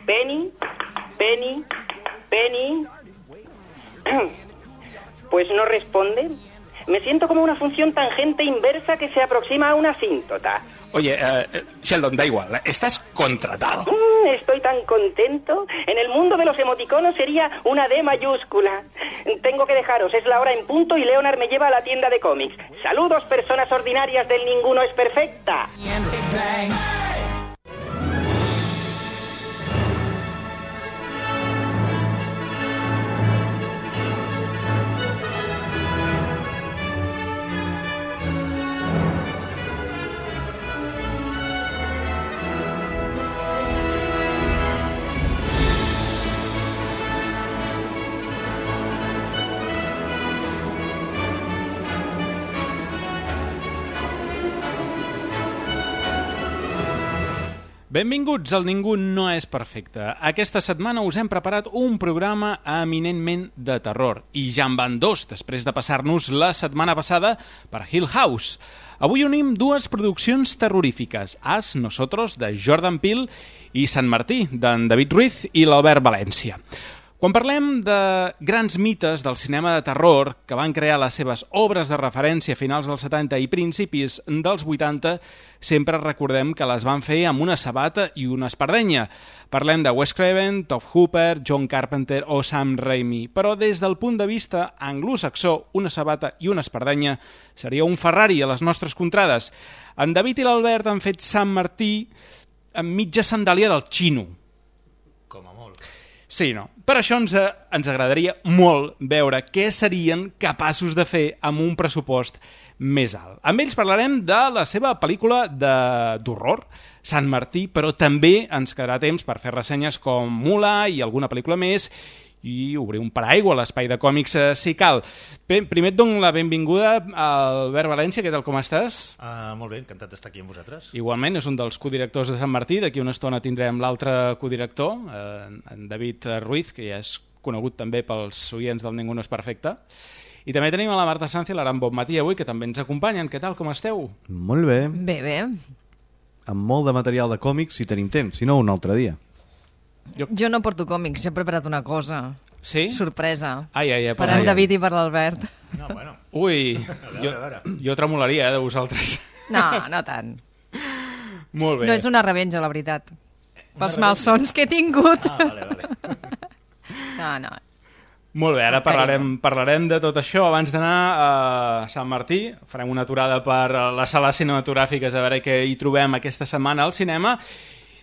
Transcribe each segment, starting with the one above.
Penny, Penny, Penny. Pues no responde. Me siento como una función tangente inversa que se aproxima a una asíntota. Oye, Sheldon, da igual, estás contratado. Estoy tan contento. En el mundo de los emoticonos sería una D mayúscula. Tengo que dejaros, es la hora en punto y Leonard me lleva a la tienda de cómics. Saludos, personas ordinarias del Ninguno es Perfecta. Benvinguts al Ningú no és perfecte. Aquesta setmana us hem preparat un programa eminentment de terror. I ja en van dos, després de passar-nos la setmana passada per Hill House. Avui unim dues produccions terrorífiques, As, Nosotros, de Jordan Peele, i Sant Martí, d'en David Ruiz i l'Albert València. Quan parlem de grans mites del cinema de terror que van crear les seves obres de referència a finals dels 70 i principis dels 80, sempre recordem que les van fer amb una sabata i una espardenya. Parlem de Wes Craven, Tobe Hooper, John Carpenter o Sam Raimi, però des del punt de vista anglosaxó, una sabata i una espardenya seria un Ferrari a les nostres contrades. En David i l'Albert han fet Sant Martí amb mitja sandàlia del xino. Com a molt. Sí, no. Per això ens agradaria molt veure què serien capaços de fer amb un pressupost més alt. Amb ells parlarem de la seva pel·lícula d'horror, Sant Martí, però també ens quedarà temps per fer ressenyes com Mula i alguna pel·lícula més i obrir un paraigua a l'espai de còmics si cal. Bé, primer et dono la benvinguda al Albert València, què tal, com estàs? Molt bé, encantat d'estar aquí amb vosaltres. Igualment, és un dels codirectors de Sant Martí, d'aquí una estona tindrem l'altre codirector, en David Ruiz, que ja és conegut també pels oients del Ningú no és perfecte. I també tenim a la Marta Sanz i l'Aran Bonmatí avui, que també ens acompanyen. Què tal, com esteu? Molt bé. Bé, bé. Amb molt de material de còmics si tenim temps, si no un altre dia. Jo no porto còmics, he preparat una cosa. Sí? Sorpresa. Ai, per en David i per l'Albert. No, bueno. Ui, a veure. Jo tremolaria, de vosaltres. No, no tant. Molt bé. No és una revenja, la veritat. Pels malsons que he tingut. Vale. No. Molt bé, ara parlarem de tot això. Abans d'anar a Sant Martí, farem una aturada per les sales cinematogràfiques a veure què hi trobem aquesta setmana al cinema.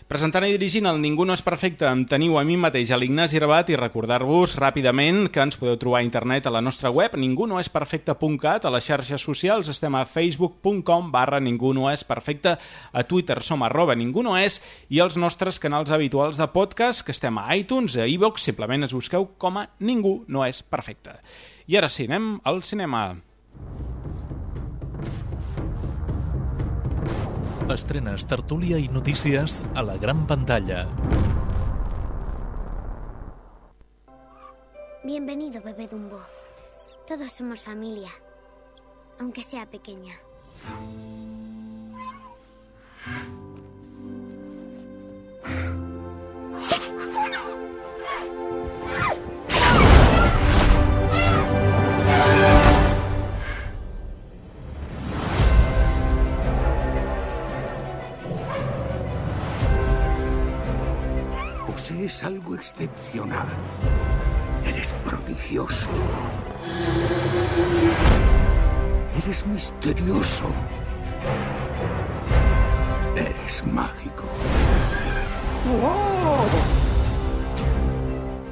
Presentant i dirigint el Ningú no és perfecte em teniu a mi mateix, a l'Ignasi Rabat, i recordar-vos ràpidament que ens podeu trobar a internet a la nostra web ningunoesperfecte.cat, a les xarxes socials estem a facebook.com/ningunoesperfecte, a Twitter som @ningunoes i els nostres canals habituals de podcast que estem a iTunes, a iVoox, simplement es busqueu com a Ningú no és perfecte. I ara sí, anem al cinema. Estrenes, tertúlia i notícies a la gran pantalla. Bienvenido, bebé Dumbo. Todos somos familia, aunque sea pequeña. Posees algo excepcional. Eres prodigioso. Eres misterioso. Eres mágico. ¡Wow!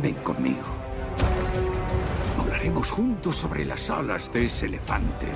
Ven conmigo. Volaremos juntos sobre las alas de ese elefante.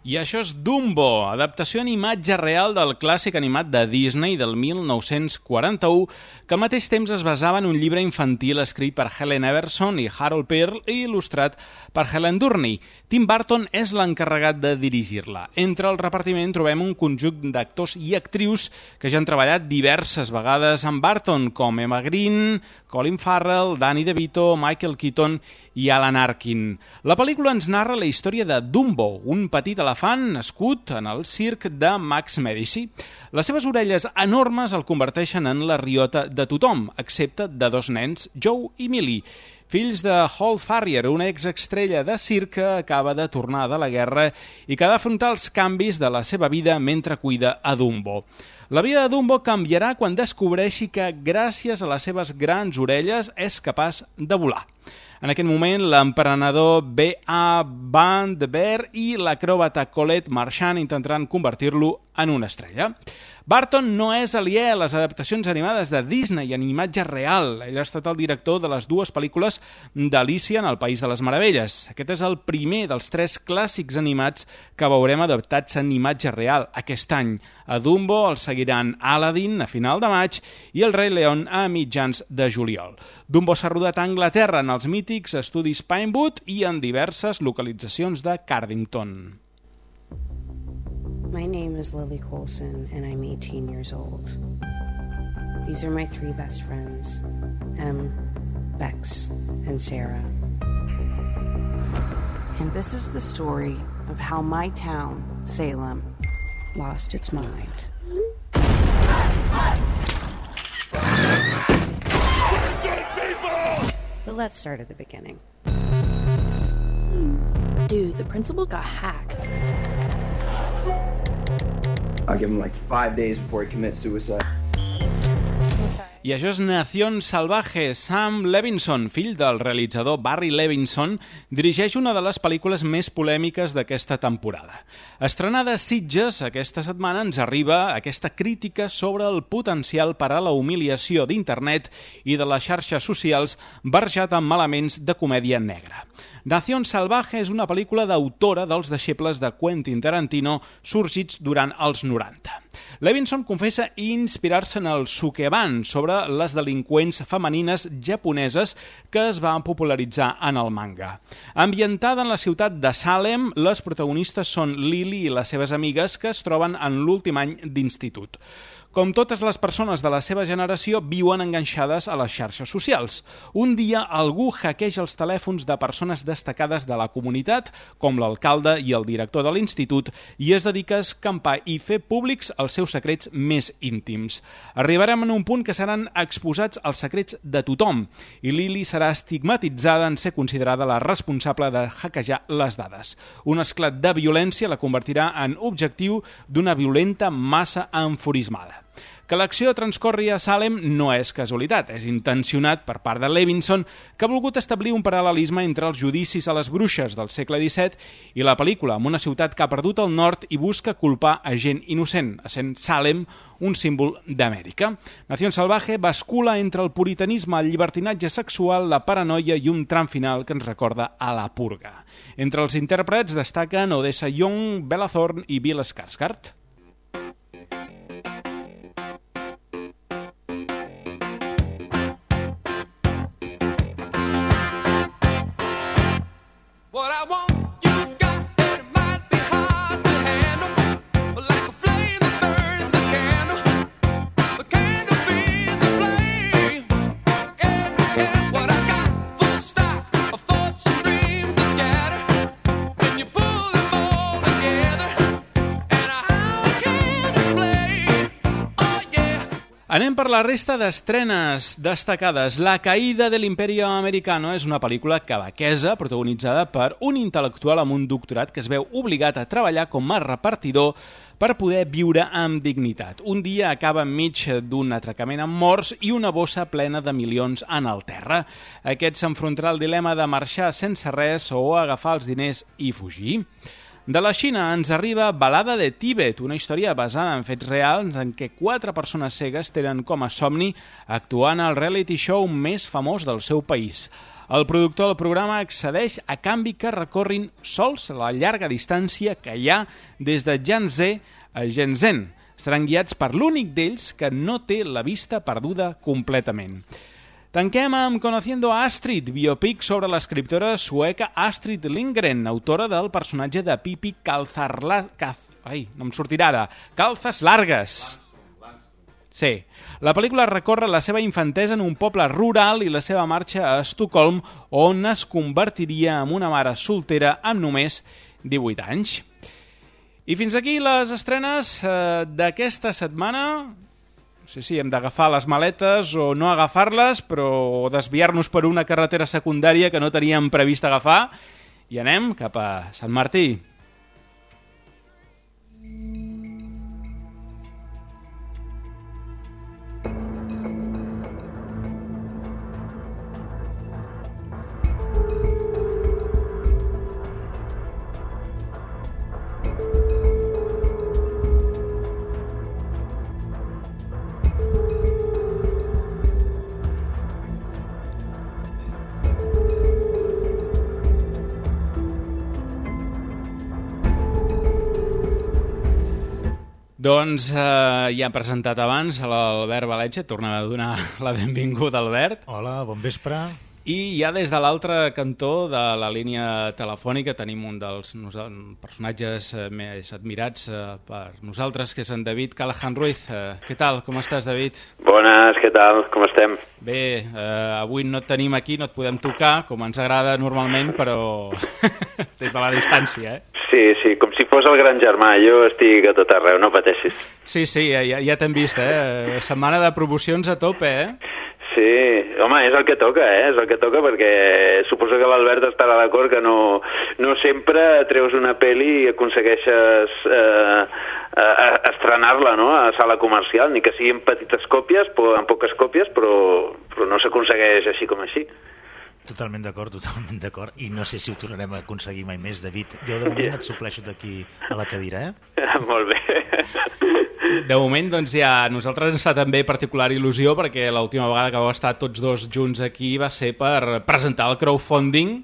I això és Dumbo, adaptació en imatge real del clàssic animat de Disney del 1941, que al mateix temps es basava en un llibre infantil escrit per Helen Everson i Harold Pearl i il·lustrat per Helen Durney. Tim Burton és l'encarregat de dirigir-la. Entre el repartiment trobem un conjunt d'actors i actrius que ja han treballat diverses vegades amb Burton, com Emma Green, Colin Farrell, Danny DeVito, Michael Keaton i Alan Arkin. La pel·lícula ens narra la història de Dumbo, un petit elefant nascut en el circ de Max Medici. Les seves orelles enormes el converteixen en la riota de tothom, excepte de dos nens, Joe i Millie, fills de Hall Farrier, una exestrella de circ que acaba de tornar de la guerra i que ha d'afrontar els canvis de la seva vida mentre cuida a Dumbo. La vida de Dumbo canviarà quan descobreixi que, gràcies a les seves grans orelles, és capaç de volar. En aquest moment, l'emprenedor B.A. Van de Beer i l'acròbata Colette Marchand intentaran convertir-lo en una estrella. Barton no és aliè a les adaptacions animades de Disney en imatge real. Ell ha estat el director de les dues pel·lícules d'Alícia en el País de les Meravelles. Aquest és el primer dels 3 clàssics animats que veurem adaptats en imatge real aquest any. A Dumbo el seguiran Aladdin a final de maig i el Rei León a mitjans de juliol. Dumbo s'ha rodat a Anglaterra en els mítics estudis Pinewood i en diverses localitzacions de Cardington. My name is Lily Colson, and I'm 18 years old. These are my 3 best friends, Em, Bex, and Sarah. And this is the story of how my town, Salem, lost its mind. But let's start at the beginning. Dude, the principal got hacked. I'll give him like 5 days before he commits suicide. I això és Nación Salvaje. Sam Levinson, fill del realitzador Barry Levinson, dirigeix una de les pel·lícules més polèmiques d'aquesta temporada. Estrenada a Sitges, aquesta setmana ens arriba aquesta crítica sobre el potencial per a la humiliació d'internet i de les xarxes socials barrejat amb elements de comèdia negra. Nación Salvaje és una pel·lícula d'autora dels deixebles de Quentin Tarantino sorgits durant els 90. Levinson confessa inspirar-se en el Sukeban sobre les delinqüents femenines japoneses que es van popularitzar en el manga. Ambientada en la ciutat de Salem, les protagonistes són Lily i les seves amigues que es troben en l'últim any d'institut. Com totes les persones de la seva generació, viuen enganxades a les xarxes socials. Un dia algú hackeja els telèfons de persones destacades de la comunitat, com l'alcalde i el director de l'institut, i es dedica a escampar i fer públics els seus secrets més íntims. Arribarem en un punt que seran exposats els secrets de tothom, i Lily serà estigmatitzada en ser considerada la responsable de hackejar les dades. Un esclat de violència la convertirà en objectiu d'una violenta massa enfurismada. Que l'acció transcorri a Salem no és casualitat, és intencionat per part de Levinson, que ha volgut establir un paral·lelisme entre els judicis a les bruixes del segle XVII i la pel·lícula amb una ciutat que ha perdut el nord i busca culpar a gent innocent, essent Salem un símbol d'Amèrica. Nación Salvaje bascula entre el puritanisme, el llibertinatge sexual, la paranoia i un tram final que ens recorda a la purga. Entre els intèrprets destaquen Odessa Young, Bella Thorne i Bill Skarsgård. Anem per la resta d'estrenes destacades. La caïda de l'Imperio Americano és una pel·lícula quebequesa protagonitzada per un intel·lectual amb un doctorat que es veu obligat a treballar com a repartidor per poder viure amb dignitat. Un dia acaba enmig d'un atracament amb morts i una bossa plena de milions en el terra. Aquest s'enfrontarà al dilema de marxar sense res o agafar els diners i fugir. De la Xina ens arriba Balada de Tibet, una història basada en fets reals en què 4 persones cegues tenen com a somni actuar en el reality show més famós del seu país. El productor del programa accedeix a canvi que recorrin sols la llarga distància que hi ha des de Yangtze a Shenzhen. Seran guiats per l'únic d'ells que no té la vista perduda completament. Tanquem amb Conociendo a Astrid, biopic sobre l'escriptora sueca Astrid Lindgren, autora del personatge de Pippi Calzas Largas. Sí. La pel·lícula recorre la seva infantesa en un poble rural i la seva marxa a Estocolm, on es convertiria en una mare soltera amb només 18 anys. I fins aquí les estrenes d'aquesta setmana. No sé si hem d'agafar les maletes o no agafar-les, però desviar-nos per una carretera secundària que no teníem previst agafar. I anem cap a Sant Martí. Doncs ja hem presentat abans l'Albert Valetge, tornem a donar la benvinguda, Albert. Hola, bon vespre. I ja des de l'altre cantó de la línia telefònica tenim un dels personatges més admirats per nosaltres, que és en David Callahan Ruiz. Què tal? Com estàs, David? Bones, què tal? Com estem? Bé, avui no et tenim aquí, no et podem tocar, com ens agrada normalment, però des de la distància, Sí, com si fos el gran germà. Jo estic a tot arreu, no pateixis. Sí, ja t'hem vist, Setmana de promocions a tope, Sí, home, és el que toca, és el que toca, perquè suposo que l'Albert estarà d'acord que no sempre treus una pel·li i aconsegueixes estrenar-la, no?, a sala comercial, ni que siguin petites còpies, en poques còpies, però no s'aconsegueix així com així. Totalment d'acord. I no sé si ho tornarem a aconseguir mai més, David. Jo de moment et supleixo d'aquí a la cadira, Molt bé. De moment, doncs ja, a nosaltres ens fa també particular il·lusió, perquè l'última vegada que vau estar tots dos junts aquí va ser per presentar el crowdfunding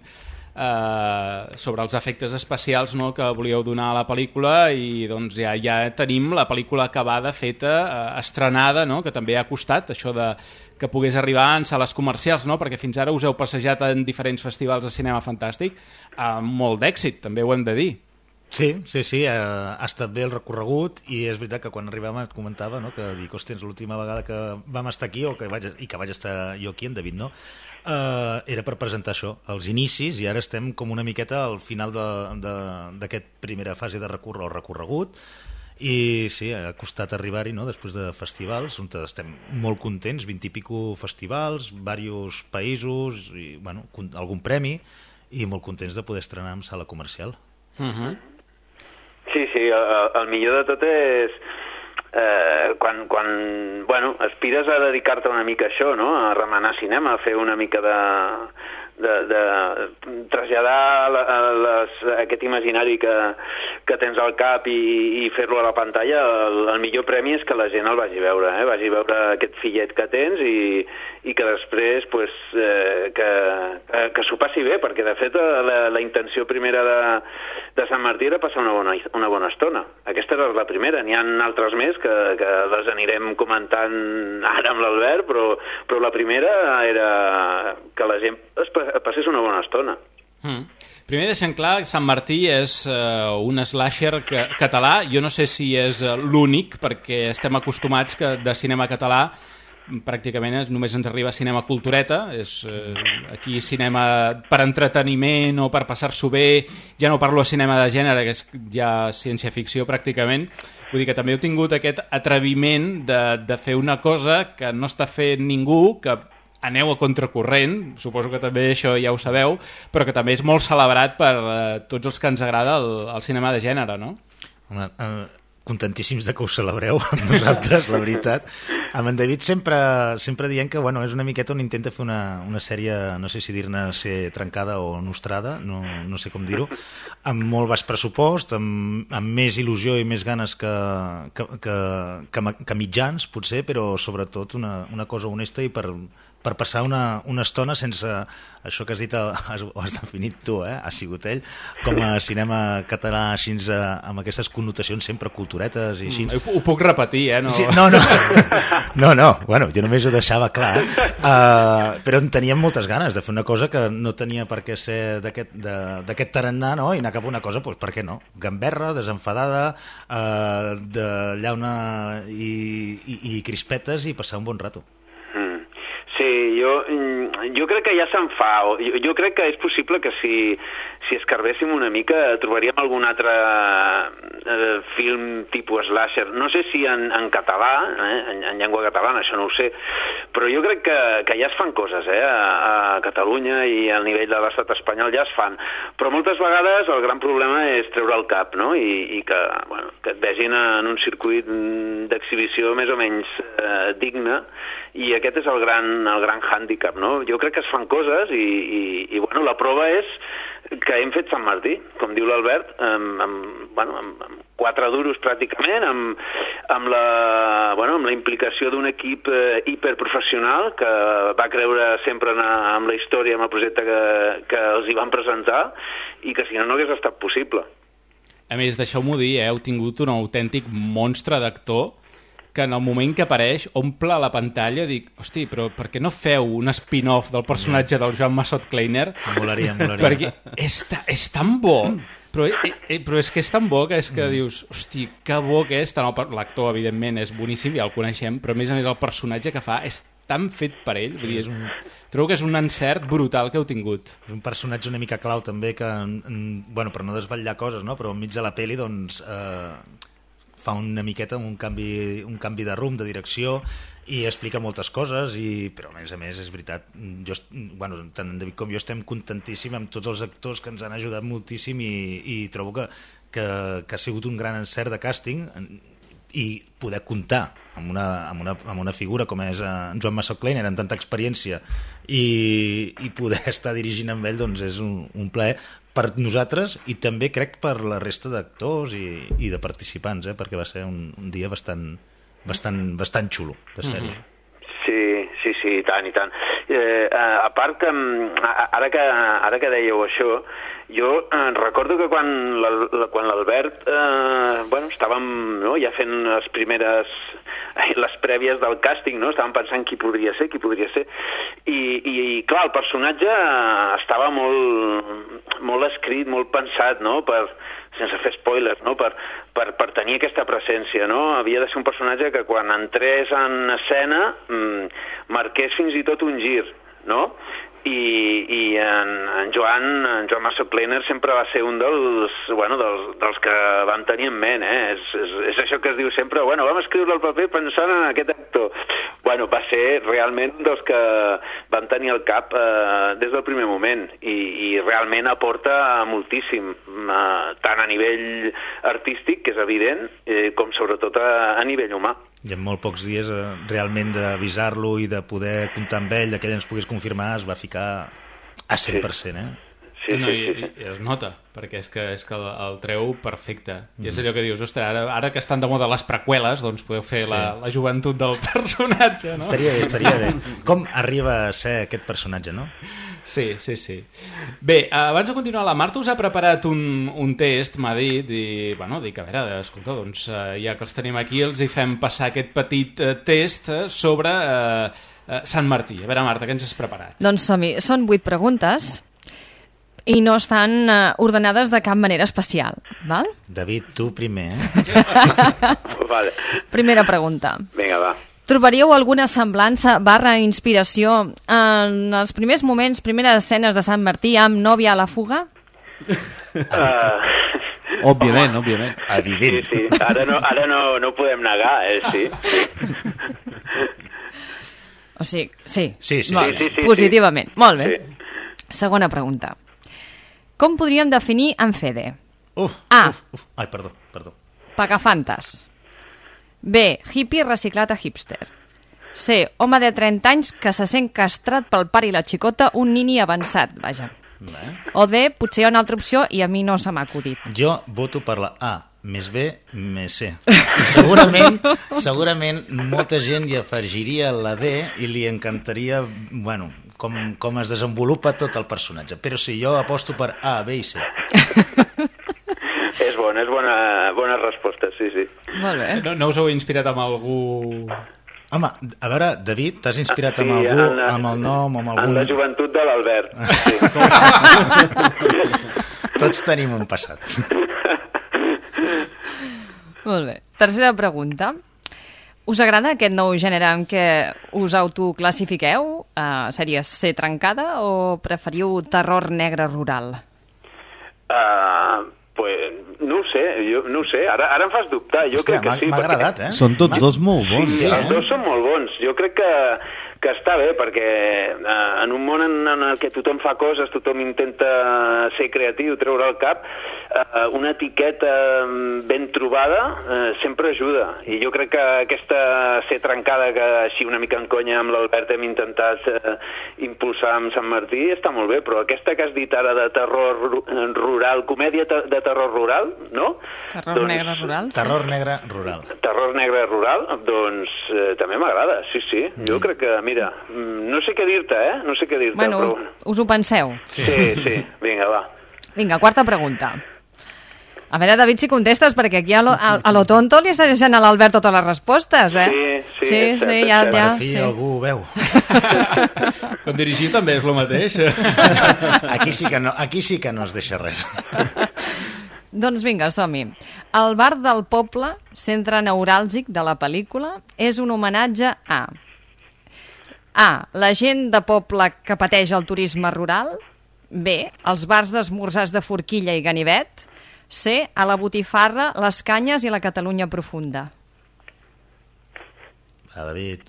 sobre els efectes especials, no?, que volíeu donar a la pel·lícula, i doncs ja tenim la pel·lícula acabada, feta, estrenada, no?, que també ha costat això de que pogués arribar en sales comercials, no?, perquè fins ara us heu passejat en diferents festivals de cinema fantàstic amb molt d'èxit, també ho hem de dir. Sí, ha estat bé el recorregut, i és veritat que quan arribàvem et comentava, no?, que dic, hòstia, l'última vegada que vam estar aquí, i que vaig estar jo aquí, en David, no?, era per presentar això, els inicis, i ara estem com una miqueta al final d'aquesta primera fase de recorregut, i sí, ha costat arribar-hi, no?, després de festivals, on estem molt contents, 20 i pico festivals, diversos països, i, bueno, algun premi, i molt contents de poder estrenar en sala comercial. Sí, el millor de tot és quan aspires a dedicar-te una mica a això, no?, a remenar cinema, a fer una mica de traslladar aquest imaginari que tens al cap i fer-lo a la pantalla. El millor premi és que la gent el vagi a veure, vagi a veure aquest fillet que tens i que després que s'ho passi bé, perquè de fet la intenció primera de Sant Martí era passar una bona estona. Aquesta era la primera, n'hi ha altres més que les anirem comentant ara amb l'Albert, però la primera era que la gent passés una bona estona. Primer deixem clar que Sant Martí és un slasher català. Jo no sé si és l'únic, perquè estem acostumats que de cinema català pràcticament només ens arriba cinema cultureta, és aquí cinema per entreteniment o per passar-s'ho bé, ja no parlo de cinema de gènere, que és ja ciència-ficció pràcticament. Vull dir que també heu tingut aquest atreviment de fer una cosa que no està fent ningú, que aneu a contracorrent, suposo que també això ja ho sabeu, però que també és molt celebrat per tots els que ens agrada el cinema de gènere, no? Contentíssims de que ho celebreu amb nosaltres, la veritat. Amb en David sempre diem que és una miqueta on intenta fer una sèrie, no sé si dir-ne ser trencada o nostrada, no sé com dir-ho, amb molt baix pressupost, amb més il·lusió i més ganes que mitjans, potser, però sobretot una cosa honesta i per per passar una estona sense això que has dit, ho has definit tu, ha sigut ell, com a cinema català així, amb aquestes connotacions sempre culturetes i així. Ho puc repetir, no? Sí, no, bueno, jo només ho deixava clar, però en teníem moltes ganes de fer una cosa que no tenia per què ser d'aquest tarannà, no? I anar cap a una cosa, doncs per què no? Gamberra, desenfadada, de llauna i crispetes i passar un bon rato. Sí, jo crec que ja se'n fa. Jo crec que és possible que si escarbéssim una mica trobaríem algun altre film tipus slasher. No sé si en català, en llengua catalana, això no ho sé, però jo crec que ja es fan coses, a Catalunya i al nivell de l'estat espanyol ja es fan. Però moltes vegades el gran problema és treure el cap, no? I que et vegin en un circuit d'exhibició més o menys digne, i aquest és el gran hàndicap, no? Jo crec que es fan coses i bueno, la prova és que hem fet Sant Martí, com diu l'Albert, amb 4 duros pràcticament, amb la implicació d'un equip hiperprofessional que va creure sempre amb la història, amb el projecte que els hi van presentar, i que si no hagués estat possible. A més, deixeu-m'ho dir, heu tingut un autèntic monstre d'actor que en el moment que apareix omple la pantalla, dic, hosti, però per què no feu un spin-off del personatge del Joan Massot Kleiner? Molaria. Perquè és tan bo, però és que és tan bo que és que dius, hosti, que bo que és. L'actor, evidentment, és boníssim, ja el coneixem, però a més el personatge que fa és tan fet per ell. Vull dir, trobo que és un encert brutal que heu tingut. És un personatge una mica clau també que, per no desvetllar coses, no? Però enmig de la peli, doncs... fa una miqueta un canvi de rumb, de direcció, i explica moltes coses, però a més és veritat, tant en David com jo estem contentíssims amb tots els actors que ens han ajudat moltíssim, i trobo que ha sigut un gran encert de càsting, i poder comptar amb una figura com és en Joan Massot Kleiner, amb tanta experiència, i poder estar dirigint amb ell, doncs és un plaer per nosaltres, i també crec per la resta d'actors i de participants, perquè va ser un dia bastant xulo de sèrie. Sí, i tant. A part que, ara que dèieu això, jo recordo que quan l'Albert estàvem ja fent les prèvies del càsting, no? Estàvem pensant qui podria ser, i clar, el personatge estava molt escrit, molt pensat, no? Sense fer spoilers, no? Per tenir aquesta presència, no? Havia de ser un personatge que quan entrés en escena marqués fins i tot un gir, no? I en Joan Massot Kleiner sempre va ser un dels que vam tenir en ment, és això que es diu sempre, vam escriure el paper pensant en aquest actor. Va ser realment dels que vam tenir al cap des del primer moment, i realment aporta moltíssim, tant a nivell artístic, que és evident, com sobretot a nivell humà. I en molt pocs dies realment d'avisar-lo i de poder comptar amb ell, que ell ens pogués confirmar, es va ficar a 100%, Sí. I es nota, perquè és que el treu perfecte. I és allò que dius, ostres, ara que estan de moda les preqüeles, doncs podeu fer la joventut del personatge, no? Estaria bé. Com arriba a ser aquest personatge, no? Sí. Bé, abans de continuar, la Marta us ha preparat un test, m'ha dit, dic, a veure, escolta, doncs ja que els tenim aquí, els hi fem passar aquest petit test sobre Sant Martí. A veure, Marta, què ens has preparat? Doncs som-hi, són 8 preguntes i no estan ordenades de cap manera especial, val? David, tu primer, Vale. Primera pregunta. Vinga, va. Trobaríeu alguna semblança / inspiració en els primers moments, primeres escenes de Sant Martí amb Nòvia a la fuga? Òbviament. Evident. Sí. Ara no ho podem negar, sí. O sigui, sí. Sí. Positivament. Molt bé. Segona pregunta. Com podríem definir en Fede? A. Ai, perdó. Pagafantes. B. Hippie reciclat a hipster. C. Home de 30 anys que se sent castrat pel pare i la xicota, un nini avançat, vaja. O D. Potser hi ha una altra opció i a mi no se m'ha acudit. Jo voto per la A. més B més C. I segurament molta gent hi afegiria la D i li encantaria, bueno, com es desenvolupa tot el personatge. Però sí, jo aposto per A, B i C. És bona resposta, sí. Molt bé. No us heu inspirat amb algú... Home, a veure, David, t'has inspirat amb algú, amb el nom, amb algun... En la joventut de l'Albert. Sí. Tots tenim un passat. Molt bé. Tercera pregunta. Us agrada aquest nou gènere en què us autoclassifiqueu? Seria ser trencada o preferiu terror negre rural? Pues no ho sé, ara em fas dubtar. Jo crec que sí. M'ha agradat, eh? Són tots dos molt bons. Sí, els dos són molt bons. Jo crec que està bé, perquè en un món en el que tothom fa coses, tothom intenta ser creatiu, treure el cap, una etiqueta ben trobada sempre ajuda. I jo crec que aquesta ser trencada, que així una mica en conya amb l'Albert hem intentat impulsar amb Sant Martí, està molt bé, però aquesta que has dit ara de terror rural, comèdia de terror rural, no? Terror negre rural? Terror negre rural. Terror negre rural, doncs també m'agrada, sí. Jo crec que, mira, no sé què dir-te, No sé què dir-te, bueno, però... us ho penseu? Sí, vinga, va. Vinga, quarta pregunta. A veure, David, si contestes, perquè aquí a lo tonto li està deixant a l'Albert totes les respostes, Sí, ja. Per fi algú ho veu. Quan dirigiu també és el mateix. Aquí sí que no es deixa res. Doncs vinga, som-hi. El bar del poble, centre neuràlgic de la pel·lícula, és un homenatge a la gent de poble que pateix el turisme rural, B, els bars d'esmorzars de forquilla i ganivet, C, a la botifarra, les canyes i la Catalunya profunda. David...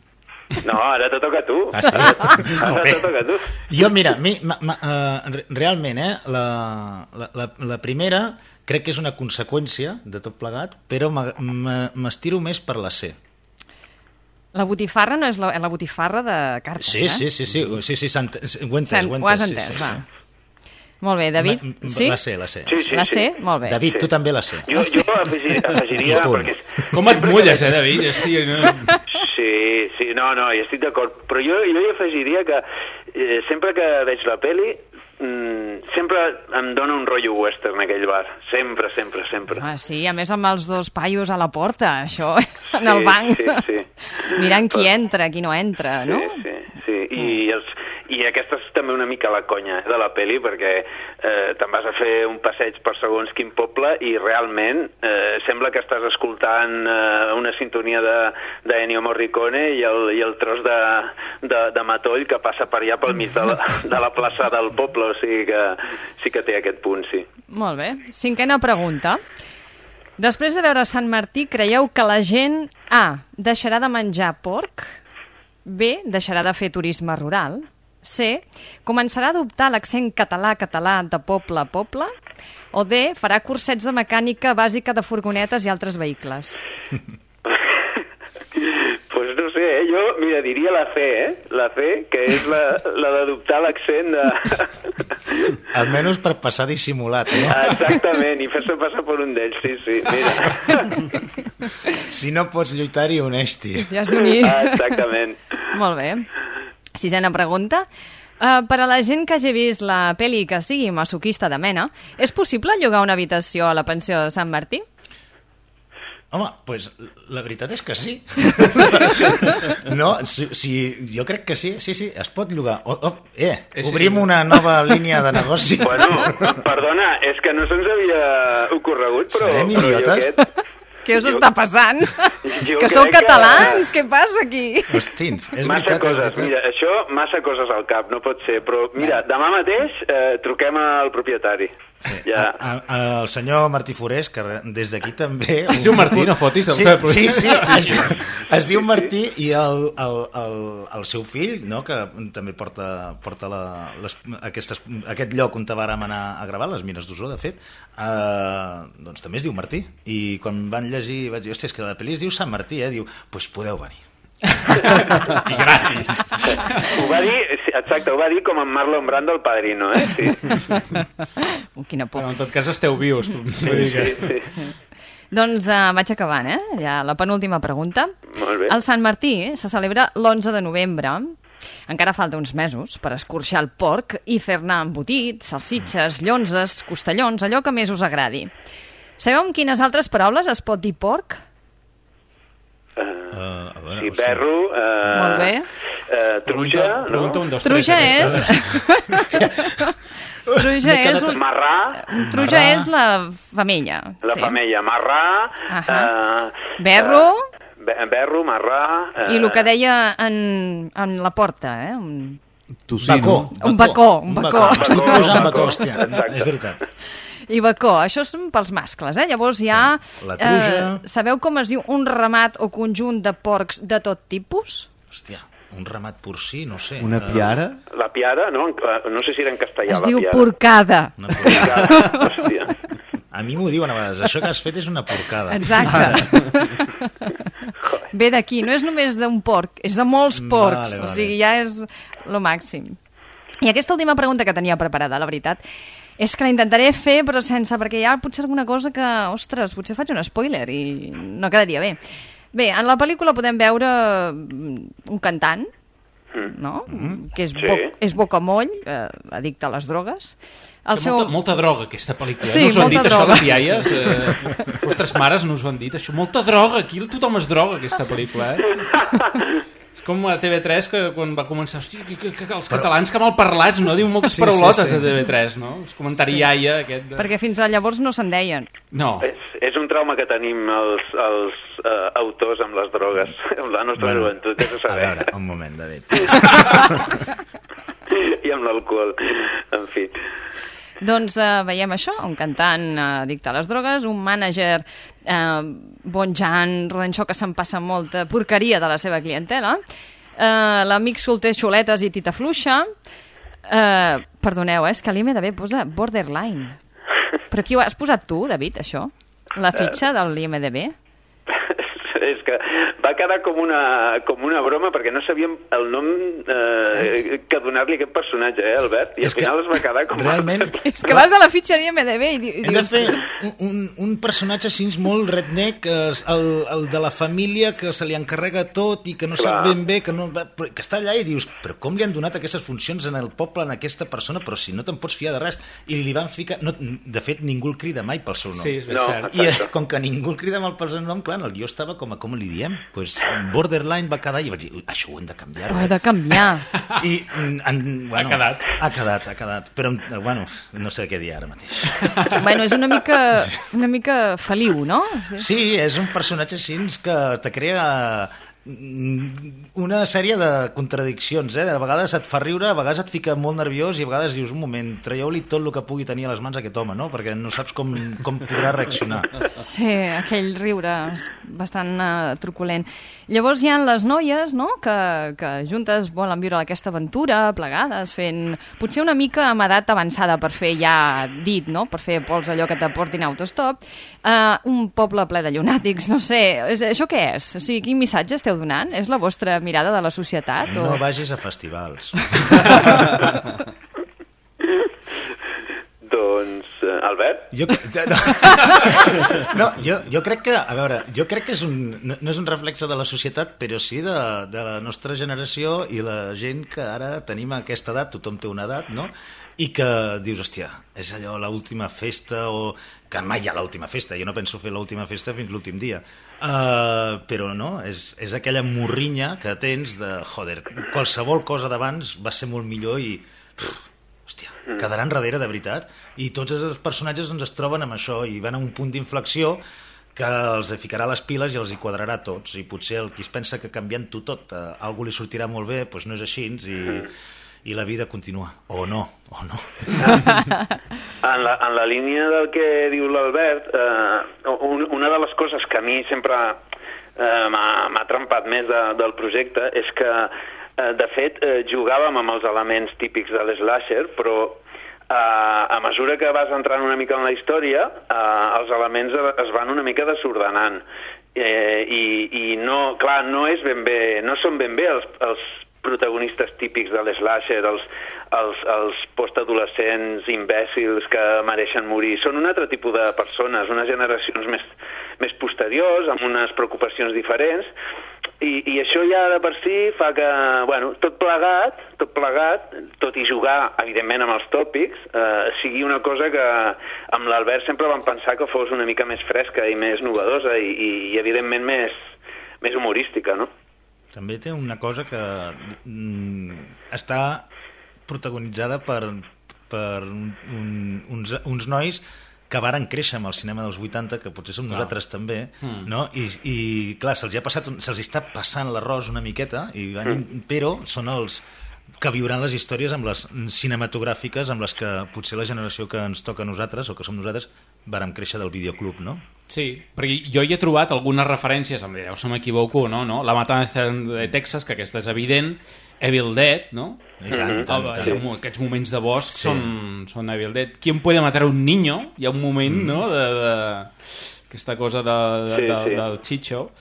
No, ara te toca a tu. Ah, sí? Ara te toca a tu. Jo, mira, realment, la primera crec que és una conseqüència de tot plegat, però m'estiro més per la C. La botifarra no és la botifarra de cartes, Sí, ho he entès. Ho has entès, va. Molt bé, David, sí? La C. Sí. La C? Molt bé. David, tu també la C. Jo afegiria... Perquè... Com et mulles, David? Sí, no, hi estic d'acord. Però jo hi afegiria que sempre que veig la peli sempre em dona un rotllo western aquell bar. Sempre. Ah, sí, a més amb els dos paios a la porta, això, en el banc. Sí. Mirant qui entra, qui no entra, no? Sí. I aquesta és també una mica la conya de la peli, perquè te'n vas a fer un passeig per segons quin poble i realment sembla que estàs escoltant una sintonia d'Ennio Morricone i el tros de matoll que passa per allà pel mig de la plaça del poble, o sigui que sí que té aquest punt, sí. Molt bé. Cinquena pregunta. Després de veure Sant Martí, creieu que la gent A, deixarà de menjar porc, B, deixarà de fer turisme rural, C, començarà a adoptar l'accent català de poble a poble, o D, farà cursets de mecànica bàsica de furgonetes i altres vehicles? Pues no sé, jo, mira, diria la C, La C, que és la d'adoptar l'accent de... Almenys per passar dissimulat, no? Exactament, i fer-se passar per un d'ells, sí, mira. Si no pots lluitar-hi, uneix-t'hi. Ja has d'unir. Exactament. Molt bé. Sisena pregunta. Per a la gent que hagi vist la pel·li que sigui masoquista de mena, és possible llogar una habitació a la pensió de Sant Martí? Home, doncs la veritat és que sí. No, sí, jo crec que sí, es pot llogar. Obrim una nova línia de negoci. Bueno, perdona, és que no se'ns havia ocorregut, però... Serem idiotes? Què us està passant? Que sou catalans? Què passa aquí? Hostins, és massa veritat. Coses, mira, això, massa coses al cap, no pot ser. Però, mira, demà mateix truquem al propietari. Sí. Ja. El senyor Martí Forés, que des d'aquí també... Es diu Martí, no fotis? Sí, es diu Martí i el seu fill, no, que també porta aquest lloc on vàrem anar a gravar, les mines d'Osó, de fet, doncs també es diu Martí. I quan van llegir vaig dir, hòstia, és que la pel·li es diu Sant Martí, diu, doncs podeu venir. I gratis. Ho va dir com en Marlon Brando, el Padrino, Sí. Quina por. Però en tot cas esteu vius. Sí. Doncs vaig acabant, Ja la penúltima pregunta. Molt bé. El Sant Martí se celebra l'11 de novembre. Encara falta uns mesos per escorxar el porc i fer-ne embotit, salsitxes, llonzes, costellons, allò que més us agradi. Sabeu amb quines altres paraules es pot dir porc? Sí, berro... Molt bé. Truja, Pregunta un, dos, Truja tres. Truja és... Marrà. Truja és la femella. La femella, marrà... Berro... Berro, marrà... I el que deia en la porta, Tocino. Un bacó. Estic posant bacó, hòstia. És veritat. I bacó, això són pels mascles, Llavors hi ha... La truja... Sabeu com es diu un ramat o conjunt de porcs de tot tipus? Hòstia, un ramat porcí, no sé. Una piara? La piara, no? No sé si era en castellà, Es la diu piara. porcada. Una porcada. Hòstia. A mi m'ho diuen a vegades, això que has fet és una porcada. Exacte. Ve d'aquí, no és només d'un porc, és de molts porcs, Vale. o sigui, ja és lo màxim. I aquesta última pregunta que tenia preparada, la veritat, és que la intentaré fer, però sense, perquè hi ha potser alguna cosa que, ostres, potser faig un spoiler i no quedaria bé. Bé, en la pel·lícula podem veure un cantant, no? Que és bocamoll, addicte a les drogues. Molta droga, aquesta pel·lícula. Sí, no us ho han dit, molta això, droga. les iaies? Vostres mares no us ho han dit, això? Molta droga, aquí tothom es droga, aquesta pel·lícula, És com a TV3, que quan va començar, hòstia, que els catalans que malparlats, no? Diu moltes paraulotes a TV3, no? El comentari iaia aquest... Perquè fins a llavors no se'n deien. No. És un trauma que tenim els autors amb les drogues, amb la nostra joventut, ja se A saber. veure, un moment, David. I amb l'alcohol, en fi. Doncs veiem això, un cantant addicte a les drogues, un mànager bonjant, rodanxó que se'n passa molta porqueria de la seva clientela, l'amic solter xuletes i tita fluixa, perdoneu, és que l'IMDb posa borderline. Però qui ho has posat tu, David, això? La fitxa de l'IMDb? És que va quedar com una broma perquè no sabíem el nom que donar-li a aquest personatge, Albert? I al final es va quedar com... Realment... És que vas a la fitxa d'IMDb i dius... Hem de fer un personatge així molt redneck, el de la família que se li encarrega tot i que no sap ben bé, que està allà i dius, però com li han donat aquestes funcions en el poble a aquesta persona, però si no te'n pots fiar de res? I li van ficar... No, de fet, ningú el crida mai pel seu nom. Sí, és ben cert. I com que ningú el crida mal pel seu nom, clar, el guió estava com li diem? Pues borderline va quedar i vaig dir, això ho hem de canviar. Ho he de canviar. I, Ha quedat. Però, bueno, no sé què dir ara mateix. Bueno, és una mica feliu, no? Sí, és un personatge així que te crea una sèrie de contradiccions, A vegades et fa riure, a vegades et fica molt nerviós i a vegades dius, un moment, traieu-li tot el que pugui tenir a les mans a aquest home, no? Perquè no saps com podrà reaccionar. Sí, aquell riure bastant truculent. Llavors hi ha les noies, no?, que juntes volen viure aquesta aventura, plegades, fent potser una mica amb edat avançada per fer ja dit, no?, per fer pols allò que t'aportin autostop. Un poble ple de llunàtics, no sé, això què és? O sigui, quin missatge esteu donant? És la vostra mirada de la societat? No vagis a festivals. Doncs, Albert? Jo crec que, a veure, no és un reflexe de la societat, però sí de la nostra generació i la gent que ara tenim aquesta edat, tothom té una edat, no?, i que dius, hòstia, és allò l'última festa, o que mai hi ha l'última festa, jo no penso fer l'última festa fins l'últim dia, però no, és aquella morrinya que tens de, joder, qualsevol cosa d'abans va ser molt millor i, hòstia, quedaran darrere de veritat, i tots els personatges es troben amb això i van a un punt d'inflexió que els ficarà les piles i els hi quadrarà a tots, i potser el qui es pensa que canviant-ho tot algú li sortirà molt bé, doncs no és així, i la vida continua, o no. En la línia del que diu l'Albert, una de les coses que a mi sempre m'ha trempat més del projecte és que, de fet, jugàvem amb els elements típics de l'slasher, però a mesura que vas entrant una mica en la història, els elements es van una mica desordenant. I no, clar, no són ben bé els protagonistes típics de l'slasher, els postadolescents imbècils que mereixen morir. Són un altre tipus de persones, unes generacions més posteriors, amb unes preocupacions diferents, i això ja de per si fa que, bueno, tot plegat, tot i jugar, evidentment, amb els tòpics, sigui una cosa que amb l'Albert sempre vam pensar que fos una mica més fresca i més novedosa i evidentment, més humorística, no? També té una cosa que està protagonitzada per uns nois que varen créixer amb el cinema dels 80, que potser som nosaltres també, no? I clar, se'ls està passant l'arròs una miqueta, però són els que viuran les històries amb les cinematogràfiques amb les que potser la generació que ens toca a nosaltres, o que som nosaltres, vàrem créixer del videoclub, no? Sí, perquè jo hi he trobat algunes referències, em direu si m'equivoco, no? La Matanza de Texas, que aquesta és evident, Evil Dead, no? I tant. Aquests moments de bosc són Evil Dead. ¿Quién puede matar a un niño? Hi ha un moment, no?, aquesta cosa del Chicho.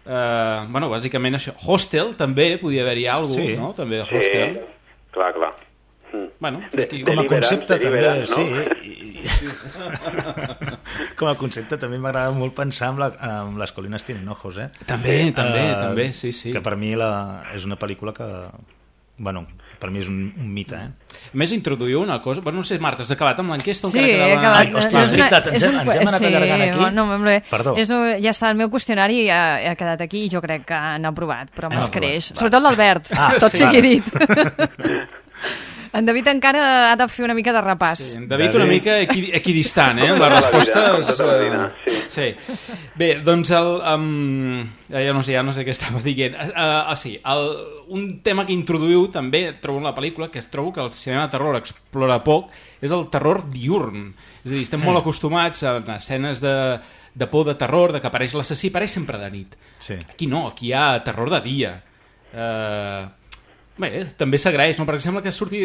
Bueno, bàsicament això. Hostel, també, podia haver-hi alguna cosa, no? També de Hostel. Sí, clar. Bueno, com a concepte també, sí. Com a concepte també m'agrada molt pensar en Les colinas tienen ojos, eh? També, sí. Que per mi és una pel·lícula que, bueno, per mi és un mite, eh? A més, introduïu una cosa... Bueno, no sé, Marta, has acabat amb l'enquesta? Sí, he acabat. Ai, hòstia, és veritat, ens hem anat allargant aquí. No, perdó. Ja està, el meu qüestionari ha quedat aquí i jo crec que han aprovat, però m'escreix. Sobretot l'Albert, tot sigui dit. En David encara ha de fer una mica de repàs. Sí, en David una mica equidistant, eh? La resposta és... Sí. Bé, doncs ja no sé què estava dient. Sí, un tema que introduïu també, trobo en la pel·lícula, que trobo que el cinema de terror explora poc, és el terror diurn. És a dir, estem molt acostumats a escenes de por, de terror, de que apareix l'assassí, apareix sempre de nit. Sí. Aquí no, aquí hi ha terror de dia. Bé, també s'agraeix, no? Perquè sembla que surti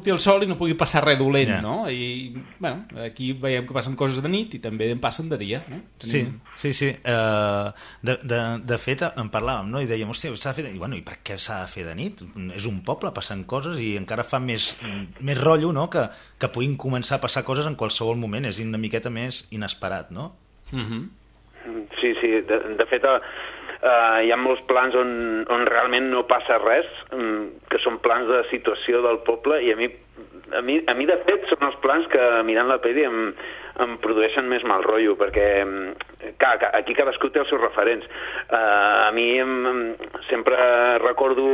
el sol i no pugui passar res dolent, no? I, bueno, aquí veiem que passen coses de nit i també en passen de dia, no? Sí. De fet, en parlàvem, no? I dèiem, hòstia, s'ha de fer de nit. I per què s'ha de fer de nit? És un poble, passen coses i encara fa més rotllo, no? Que puguin començar a passar coses en qualsevol moment. És una miqueta més inesperat, no? Sí, de fet... hi ha molts plans on realment no passa res, que són plans de situació del poble, i a mi de fet són els plans que mirant la pel·li em produeixen més mal rotllo, perquè aquí cadascú té els seus referents. A mi sempre recordo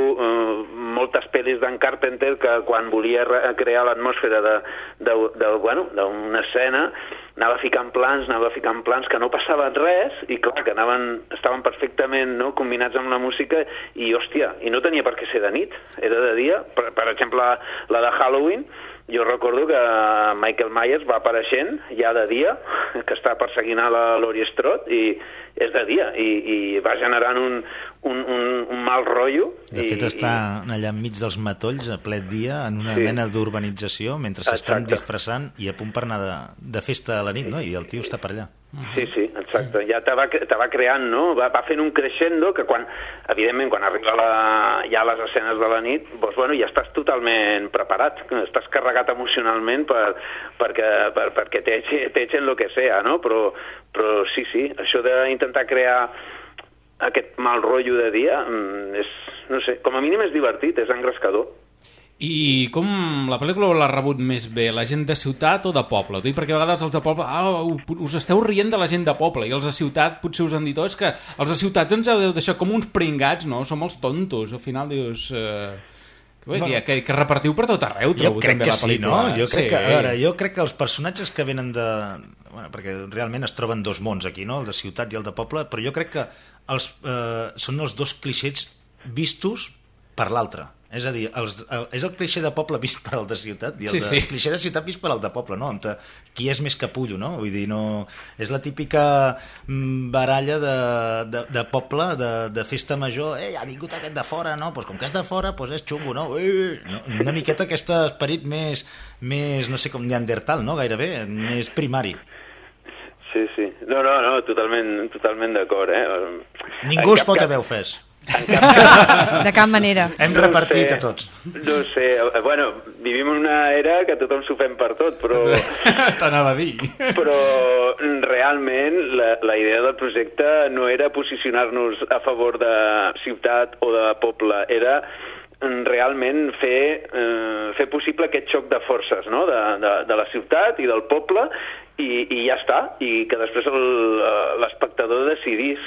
moltes pel·lis d'en Carpenter que quan volia crear l'atmosfera d'una escena anava ficant plans que no passaven res i clar, que estaven perfectament combinats amb la música i hòstia, i no tenia per què ser de nit, era de dia. Per exemple, la de Halloween, jo recordo que Michael Myers va apareixent ja de dia, que està perseguint a la Laurie Strode, i és de dia, i va generant un mal rotllo. De fet, està allà enmig dels matolls a ple dia, en una mena d'urbanització, mentre s'estan disfressant i a punt per anar de festa a la nit, no? I el tio està per allà. Sí, exacte. Ja te va creant, no? Va fent un crescendo que evidentment, quan arriba ja les escenes de la nit, doncs, ja estàs totalment preparat, estàs carregat emocionalment perquè t'echen lo que sea, no? Però sí, això d'intentar crear aquest mal rotllo de dia és, no sé, com a mínim és divertit, és engrescador. I com la pel·lícula l'ha rebut més bé, la gent de ciutat o de poble? Dic perquè a vegades els de poble, us esteu rient de la gent de poble, i els de ciutat potser us han dit, és que els de ciutats ens heu de deixar com uns pringats, no? Som els tontos. Al final dius... que repartiu per tot arreu, trobo també la pel·lícula. Jo crec que els personatges que venen de... perquè realment es troben dos mons aquí, no? El de ciutat i el de poble, però jo crec que són els dos clixés vistos per l'altre. És a dir, és el clixé de poble vist per al de ciutat i el clixé de ciutat vist per al de poble, no? Qui és més capullo, no? Vull dir, no... És la típica baralla de poble, de festa major. Ha vingut aquest de fora, no? Pues com que és de fora, pues és xungo, no? Una miqueta aquest esperit més, no sé com, neandertal, no? Gairebé, més primari. Sí. No, totalment d'acord, eh? Ningú es pot haver ofès. De cap manera. Hem repartit a tots. No sé, bueno, vivim en una era que tothom s'ho fem per tot, però... T'anava a dir. Però realment la idea del projecte no era posicionar-nos a favor de ciutat o de poble, era realment fer possible aquest xoc de forces, no? de la ciutat i del poble, i ja està, i que després l'espectador decidís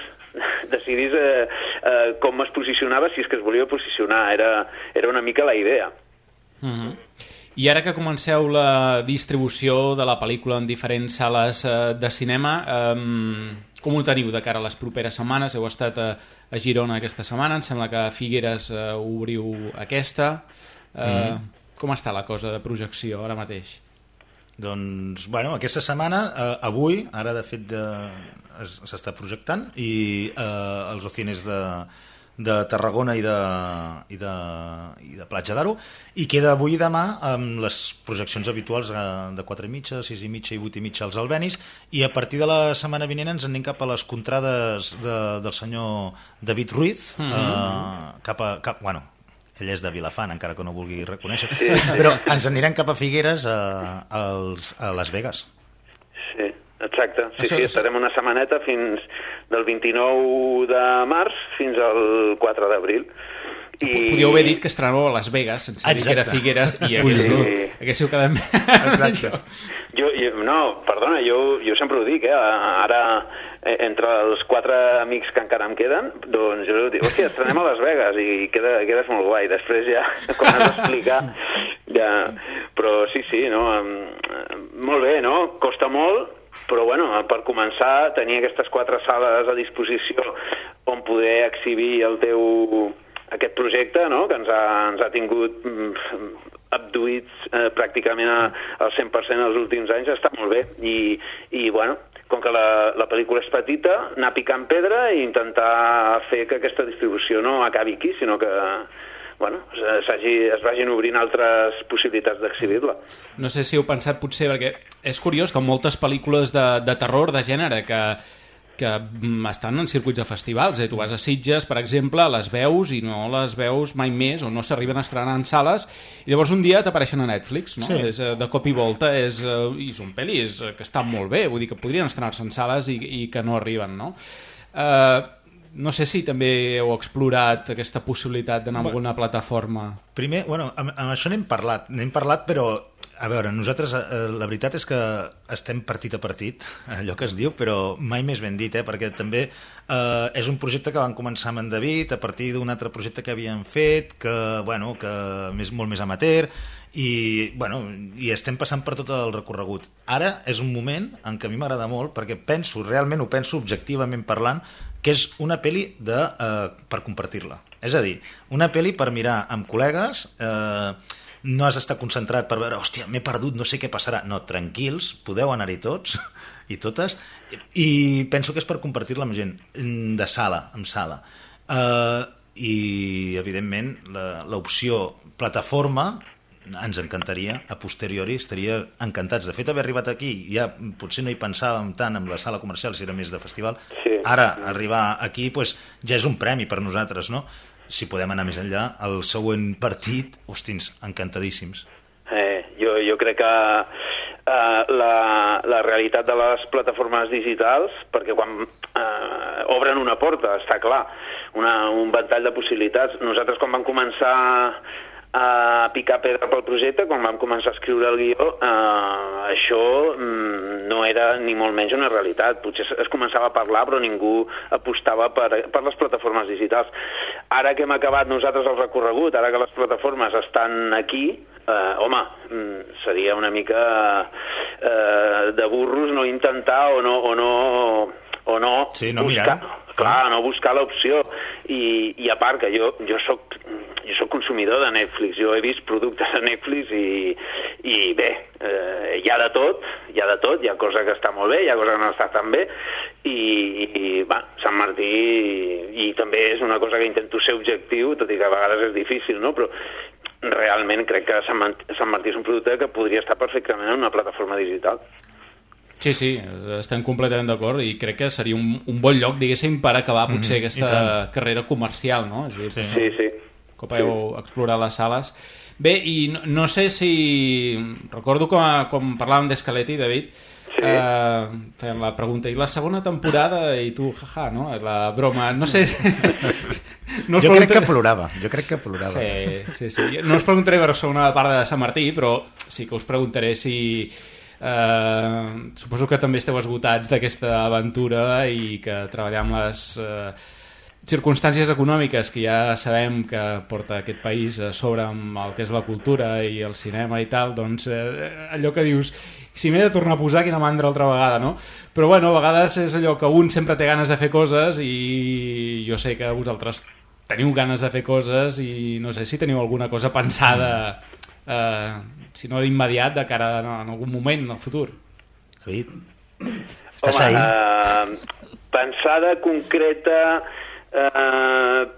com es posicionava, si és que es volia posicionar. Era una mica la idea. I ara que comenceu la distribució de la pel·lícula en diferents sales de cinema, com ho teniu de cara a les properes setmanes? Heu estat a Girona aquesta setmana, em sembla que a Figueres obriu aquesta. Com està la cosa de projecció ara mateix? Doncs, bueno, aquesta setmana, avui, ara de fet s'està projectant, i els Ocines de Tarragona i de Platja d'Aro, i queda avui i demà amb les projeccions habituals de 4:30, 6:30 i 8:30 als Albenis, i a partir de la setmana vinent ens anem cap a les contrades del senyor David Ruiz, bueno, ell és de Vilafant, encara que no vulgui reconèixer, però ens anirem cap a Figueres a Las Vegas. Sí, exacte. Sí, estarem una setmaneta del 29 de març fins al 4 d'abril. Podíeu haver dit que estrenàveu a Las Vegas sense dir que era Figueres i haguéssiu quedat més. Exacte. No, perdona, jo sempre ho dic, ara entre els 4 amics que encara em queden, doncs jo dic, hòstia, estrenem a Las Vegas i quedes molt guai. Després ja, quan has d'explicar, ja... Però sí, no? Molt bé, no? Costa molt, però bueno, per començar, tenir aquestes 4 sales a disposició on poder exhibir aquest projecte, no? Que ens ha tingut abduïts pràcticament al 100% els últims anys, està molt bé. I bueno, com que la pel·lícula és petita, anar picant pedra i intentar fer que aquesta distribució no acabi aquí, sinó que bueno, es vagin obrint altres possibilitats d'exhibir-la. No sé si heu pensat potser, perquè és curiós que moltes pel·lícules de terror, de gènere, que estan en circuits de festivals. Tu vas a Sitges, per exemple, les veus i no les veus mai més, o no s'arriben a estrenar en sales, i llavors un dia t'apareixen a Netflix, no? Sí. De cop i volta, i són pel·lis que estan molt bé, vull dir que podrien estrenar-se en sales i que no arriben, no? No sé si també heu explorat aquesta possibilitat d'anar a alguna plataforma. Primer, bueno, amb això n'hem parlat, però a veure, nosaltres la veritat és que estem partit a partit, allò que es diu, però mai més ben dit, perquè també és un projecte que van començar amb en David a partir d'un altre projecte que havien fet, que molt més amateur, i estem passant per tot el recorregut. Ara és un moment en què a mi m'agrada molt, perquè realment ho penso objectivament parlant, que és una pel·li per compartir-la. És a dir, una pel·li per mirar amb col·legues, no has d'estar concentrat per veure, hòstia, m'he perdut, no sé què passarà. No, tranquils, podeu anar-hi tots i totes, i penso que és per compartir-la amb gent, de sala, en sala. I, evidentment, l'opció plataforma ens encantaria, a posteriori estaria encantats. De fet, haver arribat aquí, ja potser no hi pensàvem tant amb la sala comercial, si era més de festival, ara arribar aquí ja és un premi per nosaltres, no? Si podem anar més enllà, el següent partit, hostins, encantadíssims. Jo crec que la realitat de les plataformes digitals, perquè quan obren una porta, està clar, un ventall de possibilitats. Nosaltres quan vam començar a picar pedra pel projecte, quan vam començar a escriure el guió, això no era ni molt menys una realitat. Potser es començava a parlar, però ningú apostava per les plataformes digitals. Ara que hem acabat nosaltres el recorregut, ara que les plataformes estan aquí, home, seria una mica de burros no intentar o no buscar, clar, no buscar l'opció. I a part que jo soc consumidor de Netflix, jo he vist productes de Netflix i bé, hi ha de tot, hi ha cosa que està molt bé, hi ha cosa que no està tan bé, i Sant Martí, i també és una cosa que intento ser objectiu, tot i que a vegades és difícil, no? Però realment crec que Sant Martí és un producte que podria estar perfectament en una plataforma digital. Sí, estem completament d'acord i crec que seria un bon lloc, diguéssim, per acabar potser aquesta carrera comercial, no? Sí. Cop heu explorat les sales. Bé, i no sé si... Recordo com parlàvem d'Escaletti, David, feien la pregunta, i la segona temporada, i tu, jaja, no? La broma, no sé... Jo crec que plorava. Sí. No us preguntaré per la segona part de Sant Martí, però sí que us preguntaré si... suposo que també esteu esgotats d'aquesta aventura i que treballar amb les circumstàncies econòmiques que ja sabem que porta aquest país a sobre amb el que és la cultura i el cinema i tal, doncs allò que dius, si m'he de tornar a posar, quina mandra altra vegada, no? Però bueno, a vegades és allò que un sempre té ganes de fer coses i jo sé que vosaltres teniu ganes de fer coses i no sé si teniu alguna cosa pensada, si no d'immediat, de cara en algun moment, en el futur. David, estàs ahí? Pensada, concreta,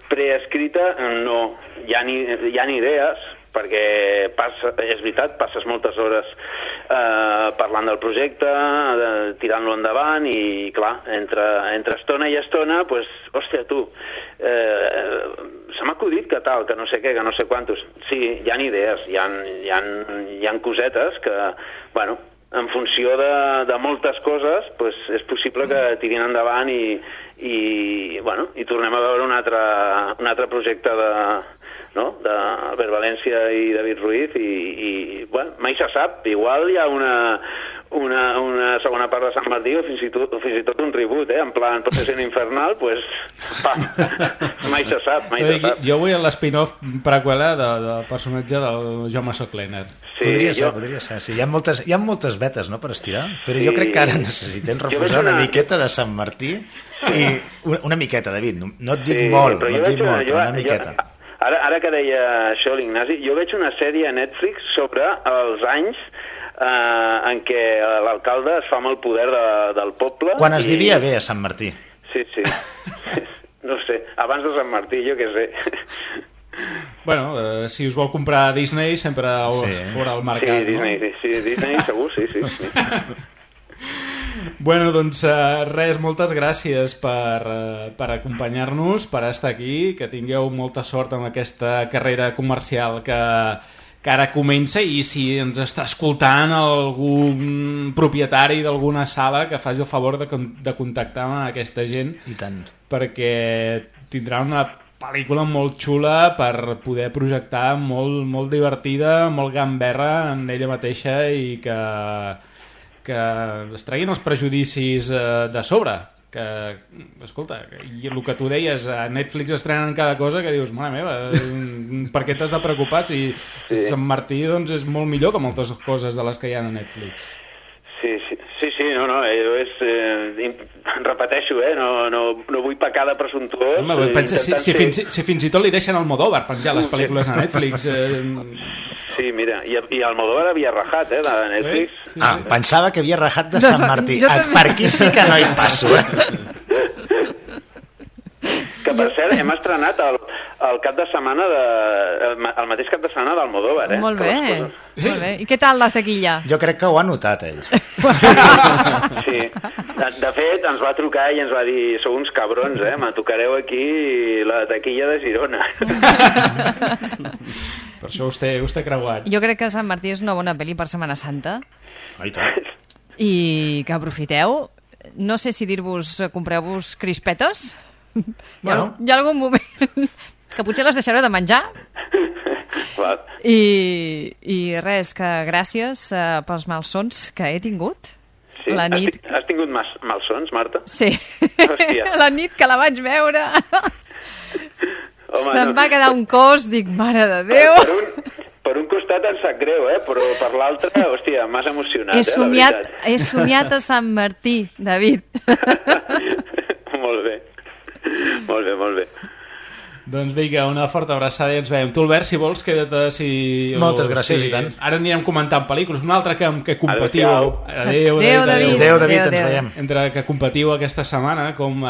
preescrita, no. Hi ha idees, perquè és veritat, passes moltes hores parlant del projecte, tirant-lo endavant i, clar, entre estona i estona, doncs, hòstia, tu, se m'ha acudit que tal, que no sé què, que no sé quantos. Sí, hi ha idees, hi ha cosetes que, bueno, en funció de moltes coses, doncs és possible que tirin endavant i tornem a veure un altre projecte de Albert València i David Ruiz i bueno, mai se sap, igual hi ha una segona part de Sant Martí o fins i tot un reboot, en plan Possession Infernal, pues mai se sap. Jo vull l'spin-off preqüela del personatge del Jaume Soclener. Podria ser. Sí, hi ha moltes vetes, no, per estirar, però jo crec que ara necessitem reposar una miqueta de Sant Martí i una miqueta, David, no et dic molt, però una miqueta. Ara que deia això l'Ignasi, jo veig una sèrie a Netflix sobre els anys en què l'alcalde es fa amb el poder del poble. Quan es vivia bé a Sant Martí. Sí. No sé, abans de Sant Martí, jo què sé. Bueno, si us vol comprar Disney sempre fora al mercat, Disney segur, sí. Bueno, doncs res, moltes gràcies per acompanyar-nos, per estar aquí, que tingueu molta sort amb aquesta carrera comercial que ara comença, i si ens està escoltant algun propietari d'alguna sala, que faci el favor de contactar amb aquesta gent. I tant. Perquè tindrà una pel·lícula molt xula per poder projectar, molt divertida, molt gamberra en ella mateixa, i que es treguin els prejudicis de sobre, que, escolta, i el que tu deies, a Netflix estrenen cada cosa que dius, mare meva, per què t'has de preocupar si Sant Martí doncs, és molt millor que moltes coses de les que hi ha a Netflix. Sí, repeteixo, no vull pecar de presumptuós. Home, pensa, si fins i tot li deixen al Almodóvar penjar les pel·lícules a Netflix. Sí, mira, i Almodóvar havia rajat, de Netflix. Sí. Pensava que havia rajat de Sant Martí. Per aquí sí que no hi passo, Que per cert, hem estrenat el cap de setmana el mateix cap de setmana d'Almodóvar, Molt bé. I què tal la taquilla? Jo crec que ho ha notat, ell. Sí. De fet, ens va trucar i ens va dir, sou uns cabrons, me tocareu aquí la taquilla de Girona. Per això us té creuats. Jo crec que Sant Martí és una bona pel·li per Setmana Santa. I que aprofiteu. No sé si dir-vos, compreu-vos crispetes. Bueno. Hi ha algun moment que potser les deixareu de menjar. I res, que gràcies pels malsons que he tingut. Sí? La nit... Has tingut malsons, Marta? Sí. La nit que la vaig veure se'm va quedar un cos, dic, mare de Déu. Per un costat em sap greu, però per l'altre, hòstia, m'has emocionat, He somiat a Sant Martí, David. Molt bé. Doncs vinga, una forta abraçada i ens veiem. Tu, Albert, si vols, queda't si... Moltes gràcies, i tant. Ara anirem comentant pel·lícules. Un altre que competiu... Adéu, David. Adéu, David, ens veiem. Entre que competiu aquesta setmana, com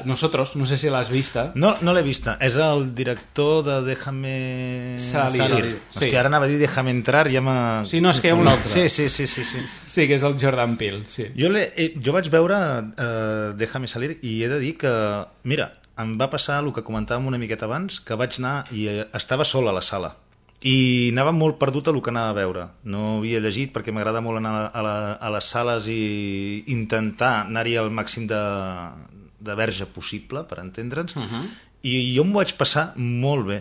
Nosotros, no sé si l'has vista. No l'he vista. És el director de Déjame Salir. Sí. Hòstia, ara anava a dir Déjame Entrar i ja m'ha... Sí, no, és que hi ha un altre. Sí. Sí, que és el Jordan Peele, sí. Jo vaig veure Déjame Salir i he de dir que, mira, em va passar el que comentàvem una miqueta abans, que vaig anar i estava sol a la sala. I anava molt perdut a el que anava a veure. No havia llegit perquè m'agrada molt anar a les sales i intentar anar-hi al màxim de verge possible, per entendre'ns. I jo m'ho vaig passar molt bé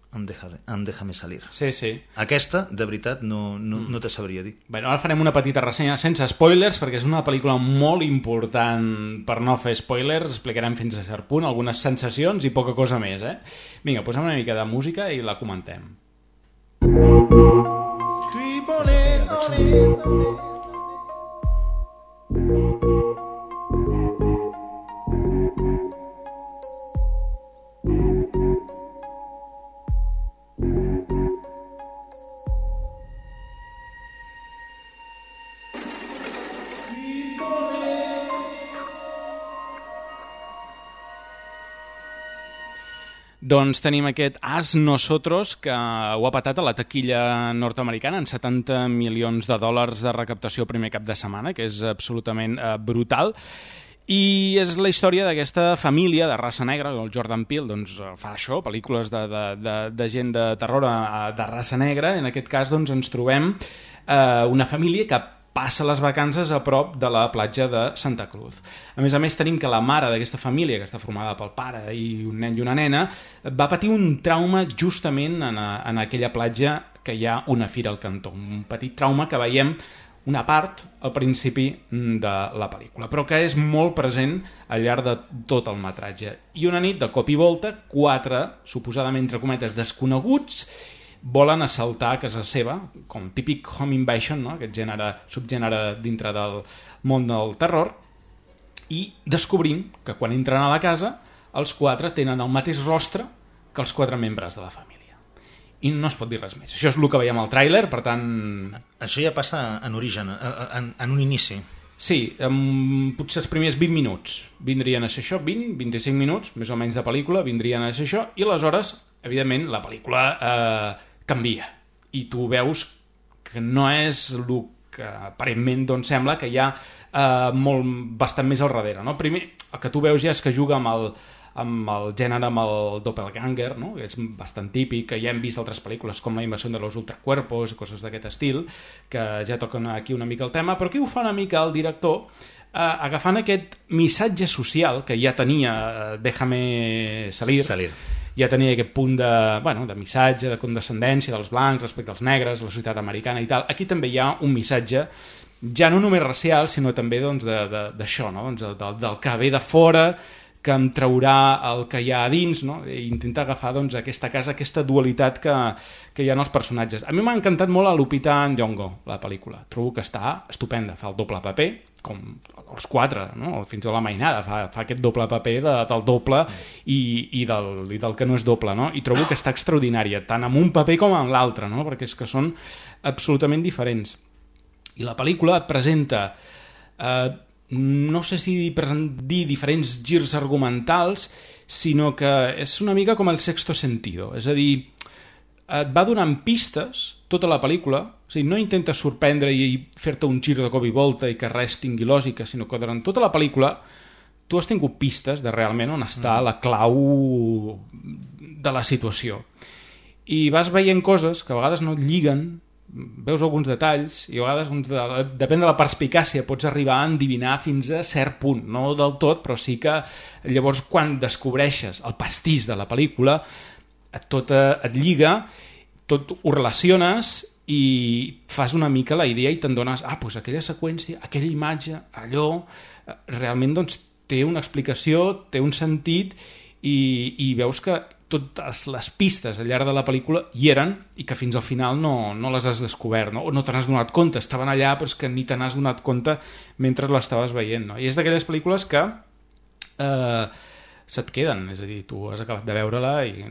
amb Déjame Salir. Sí. Aquesta, de veritat, no te sabria dir. Bueno, ara farem una petita ressenya sense spoilers, perquè és una pel·lícula molt important per no fer spoilers. Explicarem fins a cert punt algunes sensacions i poca cosa més, Vinga, posem una mica de música i la comentem. Doncs tenim aquest As Nosotros, que ho ha patat a la taquilla nord-americana en $70 milions de recaptació primer cap de setmana, que és absolutament brutal. I és la història d'aquesta família de raça negra. El Jordan Peele doncs, fa això, pel·lícules de gent de terror de raça negra. En aquest cas doncs, ens trobem una família que passa les vacances a prop de la platja de Santa Cruz. A més, tenim que la mare d'aquesta família, que està formada pel pare i un nen i una nena, va patir un trauma justament en aquella platja que hi ha una fira al cantó. Un petit trauma que veiem una part al principi de la pel·lícula, però que és molt present al llarg de tot el metratge. I una nit, de cop i volta, 4, suposadament, entre cometes, desconeguts, volen assaltar a casa seva, com típic home invasion, no? Aquest subgènere dintre del món del terror, i descobrim que quan entren a la casa els 4 tenen el mateix rostre que els 4 membres de la família. I no es pot dir res més. Això és el que veiem al tràiler, per tant... Això ja passa en origen, en un inici. Sí, potser els primers 20 minuts vindrien a ser això, 20-25 minuts, més o menys de pel·lícula, vindrien a ser això, i aleshores, evidentment, la pel·lícula canvia. I tu veus que no és el que aparentment doncs, sembla que hi ha bastant més al darrere. No? Primer, el que tu veus ja és que juga amb el gènere, amb el doppelganger, no? Que és bastant típic, que ja hem vist altres pel·lícules com La invasió de los ultracuerpos i coses d'aquest estil, que ja toquen aquí una mica el tema, però aquí ho fa una mica el director, agafant aquest missatge social que ja tenia Déjame Salir. Ja tenia aquest punt de missatge, de condescendència dels blancs respecte als negres, la societat americana i tal. Aquí també hi ha un missatge, ja no només racial, sinó també doncs, d'això, no? Doncs, del que ve de fora, que em traurà el que hi ha a dins, no? I intentar agafar doncs, aquesta casa, aquesta dualitat que hi ha en els personatges. A mi m'ha encantat molt a Lupita Nyong'o, la pel·lícula. Trobo que està estupenda, fa el doble paper, com els 4, no? Fins a la mainada fa aquest doble paper del doble i del que no és doble, no? I trobo que està extraordinària, tant en un paper com en l'altre, no? Perquè és que són absolutament diferents. I la pel·lícula presenta no sé si dir diferents girs argumentals, sinó que és una mica com el sexto sentido, és a dir, et va donant pistes tota la pel·lícula, o sigui, no intenta sorprendre i fer-te un gir de cop i volta i que res tingui lògica, sinó que durant tota la pel·lícula tu has tingut pistes de realment on està la clau de la situació. I vas veient coses que a vegades no et lliguen, veus alguns detalls i a vegades, depèn de la perspicàcia, pots arribar a endivinar fins a cert punt, no del tot, però sí que llavors quan descobreixes el pastís de la pel·lícula tot et lliga, tot ho relaciones i fas una mica la idea i te'n dones, doncs aquella seqüència, aquella imatge, allò, realment doncs, té una explicació, té un sentit i veus que totes les pistes al llarg de la pel·lícula hi eren i que fins al final no les has descobert, no? O no te n'has donat compte, estaven allà però és que ni te n'has donat compte mentre l'estaves veient, no? I és d'aquelles pel·lícules que se't queden, és a dir, tu has acabat de veure-la i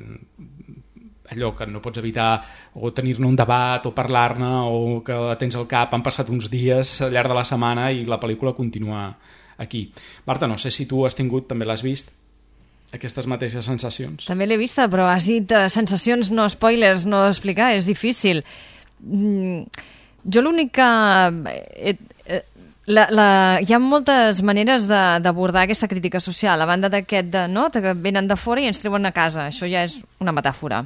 allò que no pots evitar o tenir-ne un debat o parlar-ne o que la tens al cap, han passat uns dies al llarg de la setmana i la pel·lícula continua aquí. Marta, no sé si tu has tingut, també l'has vist, aquestes mateixes sensacions. També l'he vista, però has dit sensacions, no spoilers, no explicar, és difícil. Jo l'únic que... hi ha moltes maneres d'abordar aquesta crítica social, a banda d'aquest que venen de fora i ens treuen a casa, això ja és una metàfora.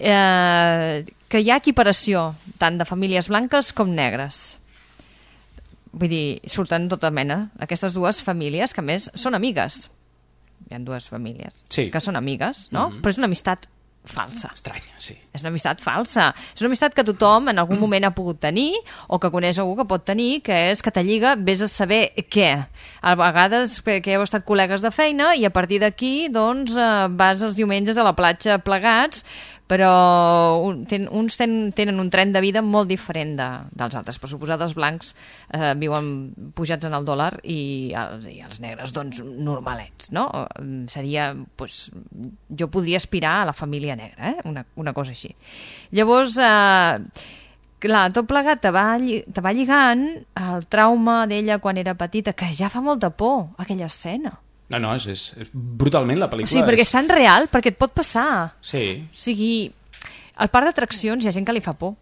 Que hi ha equiparació tant de famílies blanques com negres. Vull dir, surten tota mena aquestes dues famílies que a més són amigues. Hi ha dues famílies que són amigues, no? Però és una amistat falsa. Estranya, sí. És una amistat falsa. És una amistat que tothom en algun moment ha pogut tenir o que coneix algú que pot tenir, que és que te lliga, vés a saber què. A vegades que heu estat col·legues de feina i a partir d'aquí doncs vas els diumenges a la platja plegats, però uns tenen un tren de vida molt diferent dels altres. Per suposat, els blancs viuen pujats en el dòlar i els negres, doncs, normalets, no? Seria, doncs, jo podria aspirar a la família negra, una cosa així. Llavors, clar, tot plegat te va lligant el trauma d'ella quan era petita, que ja fa molta por, aquella escena. No, és brutalment la pel·lícula. O sigui, perquè és tan real, perquè et pot passar. Sí. O sigui, al parc d'atraccions hi ha gent que li fa por.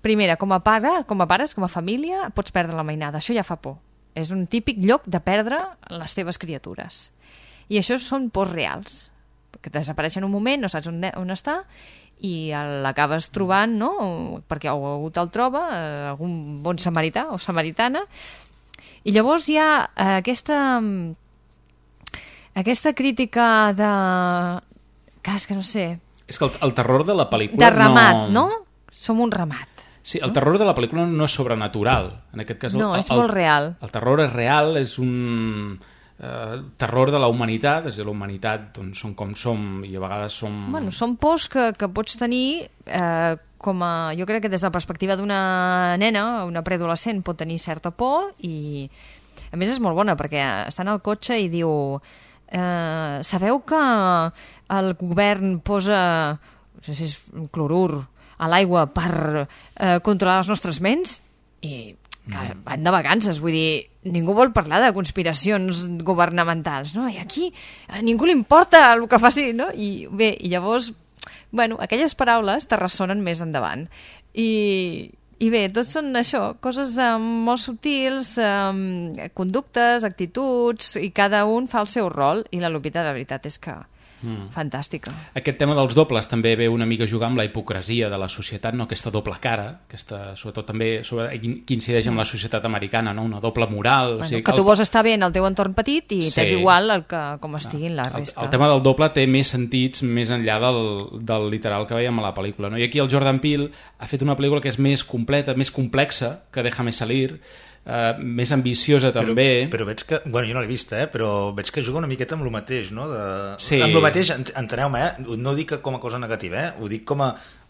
Primera, com a pares, com a família, pots perdre la mainada. Això ja fa por. És un típic lloc de perdre les teves criatures. I això són pors reals. Que desapareixen un moment, no saps on està, i l'acabes trobant, no? Perquè algú te'l troba, algun bon samarità o samaritana. I llavors hi ha aquesta crítica de... És que no sé... És que el terror de la pel·lícula... De ramat, no? Som un ramat. Sí, el terror de la pel·lícula no és sobrenatural. En aquest cas, no, és molt real. El terror és real, és un terror de la humanitat, és a dir, la humanitat doncs, som com som i a vegades som... Bueno, són pors que pots tenir com a... Jo crec que des de la perspectiva d'una nena, una preadolescent, pot tenir certa por i... A més, és molt bona, perquè està en el cotxe i diu... sabeu que el govern posa, no sé si és un clorur, a l'aigua per controlar les nostres ments? I van de vacances, vull dir, ningú vol parlar de conspiracions governamentals, no? I aquí a ningú li importa el que faci, no? I bé, i llavors, bueno, aquelles paraules te ressonen més endavant. I bé, tot són això, coses molt subtils, conductes, actituds, i cada un fa el seu rol, i la Lupita, la veritat és que fantàstica. Aquest tema dels dobles també ve una mica a jugar amb la hipocresia de la societat, no? Aquesta doble cara, sobretot també que incideix amb la societat americana, no? Una doble moral. Bueno, o sigui, que tu vols estar bé en el teu entorn petit i t'és igual com estiguin la resta. El tema del doble té més sentits més enllà del literal que veiem a la pel·lícula, no? I aquí el Jordan Peele ha fet una pel·lícula que és més completa, més complexa, que Déjame salir, més ambiciosa també. Però veig que, bueno, jo no l'he vista, però veig que juga una miqueta amb el mateix, no? Sí. Amb el mateix, enteneu-me, no ho dic com a cosa negativa, ho dic com a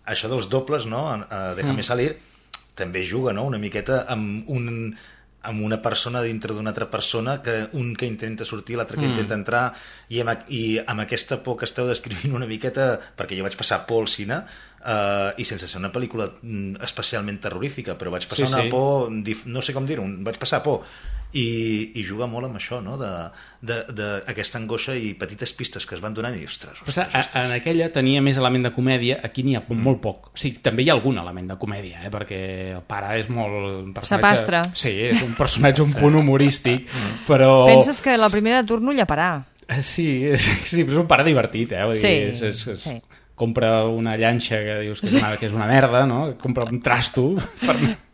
això dels dobles, no? Déjame salir, també juga, no? Una miqueta amb una persona dintre d'una altra persona, un que intenta sortir, l'altre que intenta entrar, i amb aquesta por que esteu descrivint una miqueta, perquè jo vaig passar por al cine, i sense ser una pel·lícula especialment terrorífica, però vaig passar una por, no sé com dir-ho, vaig passar por, i juga molt amb això, no? D'aquesta angoixa i petites pistes que es van donant i ostres. En aquella tenia més element de comèdia, aquí n'hi ha molt poc. O sigui, també hi ha algun element de comèdia, perquè el pare és molt... Sapastre. Sí, és un personatge un punt humorístic, però... Penses que la primera de turno llaparà. Sí, però és un pare divertit, vull dir, sí. Compra una llanxa que dius que és una merda, no? Compra un trasto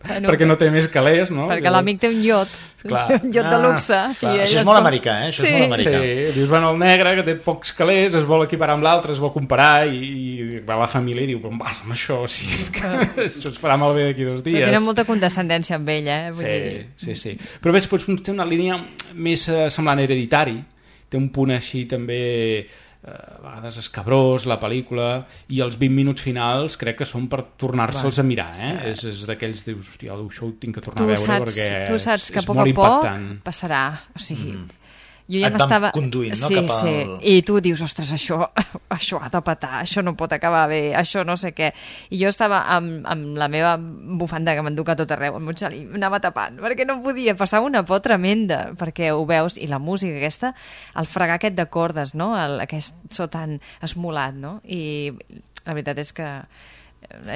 perquè no té més calés, no? Perquè l'amic té un iot, un iot de luxe. Això és molt americà, Això és molt americà. Sí, dius, bueno, el negre que té pocs calés es vol equiparar amb l'altre, es vol comparar i va a la família i diu, però vas amb això, si és que això es farà malbé d'aquí 2 dies. Però tenen molta condescendència amb ell, Sí. Però ves, pots fer una línia més semblant Hereditari, té un punt així també... a vegades escabrós la pel·lícula, i els 20 minuts finals crec que són per tornar-se'ls a mirar, és d'aquells, dius, hòstia, això ho tinc que tornar a veure perquè tu saps que és a poc molt a poc impactant. passarà, o sigui jo ja et m'estava... van conduint, no? Sí, Cap al... sí, i tu dius, ostres, això ha de petar, això no pot acabar bé, això no sé què. I jo estava amb la meva bufanda que m'enduc a tot arreu, el Montxal, i m'anava tapant, perquè no podia, passar una por tremenda, perquè ho veus, i la música aquesta, el fregar aquest de cordes, no? Aquest so tan esmolat, no? I la veritat és que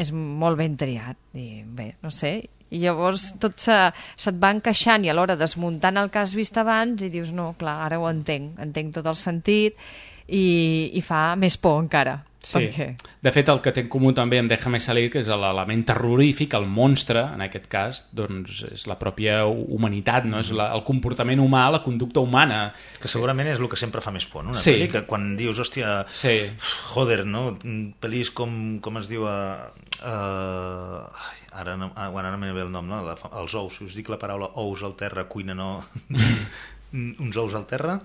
és molt ben triat, i bé, no sé... I llavors tot se't va encaixant i alhora desmuntant el que has vist abans i dius, no, clar, ara ho entenc tot el sentit i fa més por encara. Sí, perquè... de fet el que té en comú també amb Déjame salir, que és l'element terrorífic, el monstre, en aquest cas, doncs és la pròpia humanitat, no? És el comportament humà, la conducta humana. Que segurament és el que sempre fa més por, no? Una sí. pel·li que quan dius, hòstia, sí. Joder, no? Pel·lis com es diu ara no me ve el nom, no? Els ous, si us dic la paraula ous al terra, cuina no... Uns ous al terra?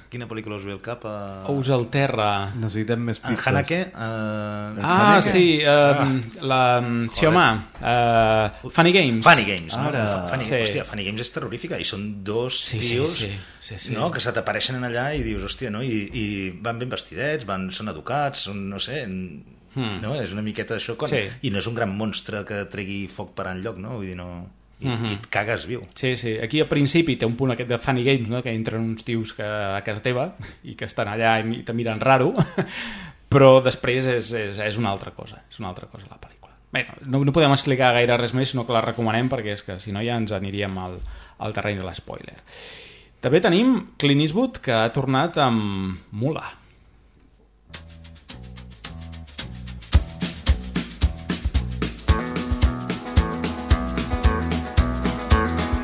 Quina pel·lícula us ve al cap? Ous al terra. Necessitem més pistes. Haneke? Sí, sí, home. Funny Games. Funny Games, no? Sí. Hòstia, Funny Games és terrorífica i són dos tios no? Que se t'apareixen allà i dius, hòstia, no? I van ben vestidets, són educats, són, no sé... No? És una miqueta això i no és un gran monstre que tregui foc per enlloc, no? Vull dir, no... I et cagues viu. Sí, sí. Aquí al principi té un punt aquest de Funny Games, no? Que entren uns tios a casa teva i que estan allà i te miren raro, però després és una altra cosa. És una altra cosa la pel·lícula. Bé, no podem explicar gaire res més, sinó que la recomanem perquè és que si no ja ens aniríem al terreny de l'espoiler. També tenim Clint Eastwood, que ha tornat amb Mula.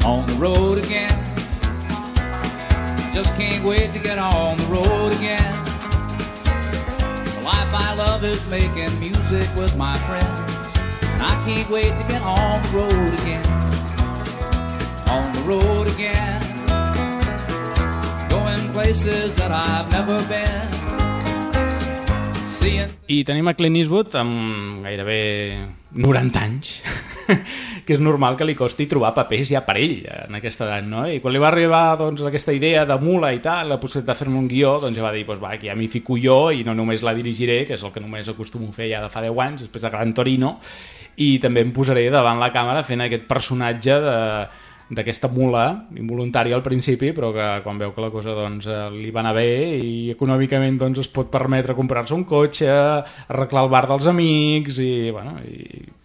On the road again. Just can't wait to get on the road again. The life I love is making music with my friends, and I can't wait to get on the road again. On the road again. Going places that I've never been. I tenim a Clint Eastwood amb gairebé 90 anys, que és normal que li costi trobar papers ja per ell en aquesta edat, no? I quan li va arribar doncs, aquesta idea de Mula i tal, la possibilitat de fer-me un guió, doncs ja va dir, doncs va, aquí ja m'hi fico jo i no només la dirigiré, que és el que només acostumo a fer ja de fa 10 anys, després de Gran Torino, i també em posaré davant la càmera fent aquest personatge d'aquesta mula involuntària al principi, però que quan veu que la cosa doncs, li va anar bé i econòmicament doncs, es pot permetre comprar-se un cotxe, arreglar el bar dels amics i, bueno,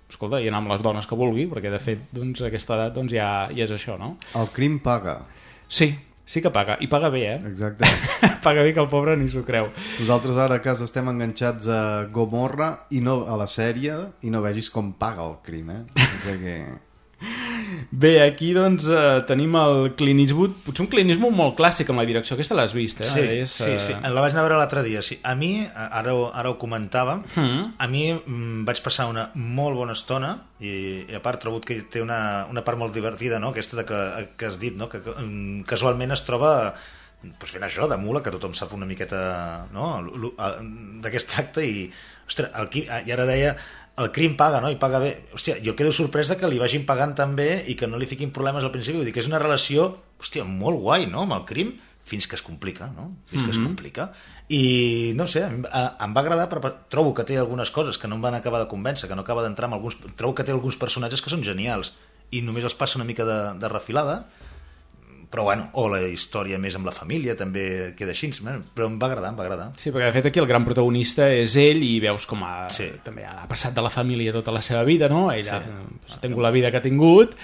escolta, i anar amb les dones que vulgui, perquè de fet doncs, a aquesta edat doncs, ja és això, no? El crim paga. Sí que paga, i paga bé, Exacte. Paga bé que el pobre ni s'ho creu. Nosaltres ara a casa estem enganxats a Gomorra i no a la sèrie i no vegis com paga el crim, O sigui que... Bé, aquí doncs tenim el Clint Eastwood, potser un Clint Eastwood molt clàssic amb la direcció, aquesta l'has vist, Sí, la vaig anar a veure l'altre dia. Sí. A mi, ara ho comentava, a mi vaig passar una molt bona estona i a part trobo que té una part molt divertida, no? Aquesta que has dit, no? Que casualment es troba pues fent això de mula, que tothom sap una miqueta, no? D'aquest tracte i, ostres, i ara deia el crim paga, no? I paga bé. Hòstia, jo quedo sorprès que li vagin pagant tan bé i que no li fiquin problemes al principi. Vull dir que és una relació, hòstia, molt guai, no?, amb el crim, fins que es complica, no? Fins que es complica. I, no sé, em va agradar, però trobo que té algunes coses que no em van acabar de convèncer, que no acaba d'entrar amb alguns... Trobo que té alguns personatges que són genials i només els passa una mica de refilada, però bueno, o la història més amb la família també queda així, però em va agradar. Sí, perquè de fet aquí el gran protagonista és ell i veus com també ha passat de la família tota la seva vida, no? Ell ha tingut la vida que ha tingut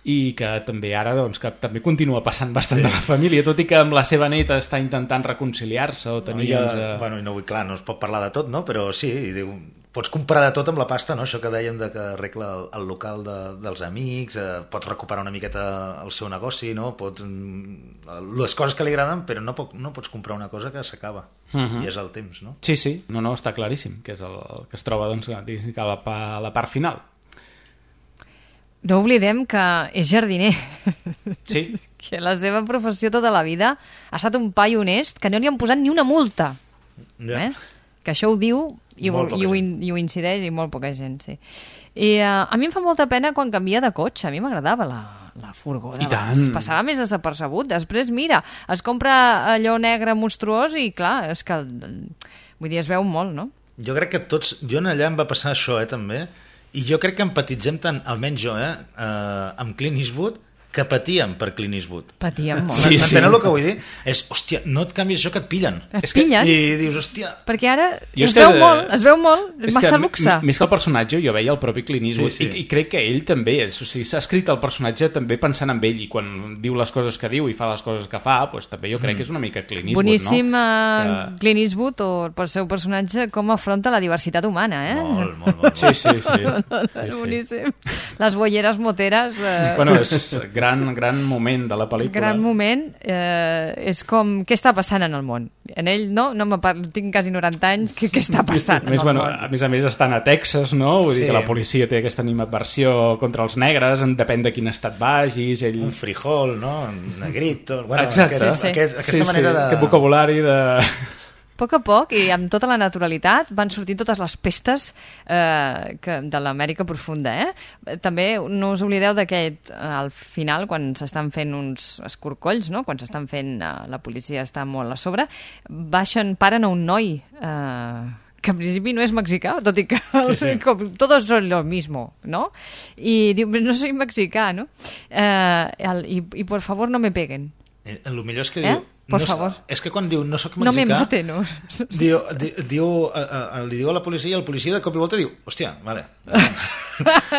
i que també ara doncs, que també continua passant bastant de la família, tot i que amb la seva neta està intentant reconciliar-se o tenir... Bueno, no vull, clar, no es pot parlar de tot, no? Però sí, diu... Pots comprar de tot amb la pasta, no? Això que dèiem de que arregla el local dels amics, pots recuperar una miqueta el seu negoci, no? Les coses que li agraden, però no pots comprar una cosa que s'acaba. I és el temps, no? Sí, no, està claríssim, que és el que es troba doncs, a la part final. No oblidem que és jardiner. Sí. Que la seva professió tota la vida ha estat un paio honest que no li han posat ni una multa. Que això ho diu i ho incideix i molt poca gent, sí. I a mi em fa molta pena quan canvia de cotxe. A mi m'agradava la furgó d'abans passava més desapercebut. Després, mira, es compra allò negre monstruós i, clar, és que... Vull dir, es veu molt, no? Jo crec que tots... Jo en allà em va passar això, també, i jo crec que empatitzem tant, almenys jo, amb Clint Eastwood, que patíem per Clint Eastwood. Patíem molt. Sí, m'enteneu el que vull dir? És, hòstia, no et canvies això que et pillen. Et pillen? I dius, hòstia... Perquè ara es veu molt, massa luxe. Més que el personatge, jo veia el propi Clint Eastwood, i crec que ell també, o sigui, s'ha escrit el personatge també pensant en ell, i quan diu les coses que diu i fa les coses que fa, doncs també jo crec que és una mica Clint Eastwood, boníssim, no? Clint Eastwood, o el seu personatge, com afronta la diversitat humana, Molt. Sí. Boníssim. Les bolleres moteres... Bueno, és gran moment de la pel·lícula. Gran moment, és com, què està passant en el món? En ell, no tinc quasi 90 anys, què està passant en el món? A més, estan a Texas, no? Vull dir que la policia té aquesta animadversió contra els negres, depèn de quin estat vagis. Un frijol, no? Un negrito... Bueno, exacte. Aquesta manera de... Aquest vocabulari de... A poc, i amb tota la naturalitat, van sortint totes les pestes de l'Amèrica profunda. També no us oblideu d'aquest, al final, quan s'estan fent uns escorcolls, no? Quan s'estan fent, la policia està molt a sobre, paren a un noi que en principi no és mexicà, tot i que todos son lo mismo, ¿no? I diu, no soy mexicà, no? I por favor no me peguen. El millor és que diu... Por favor. És que quan diu no soc mexicà... No me maten, no. Li diu a la policia, i el policia de cop i volta diu, hòstia, vale.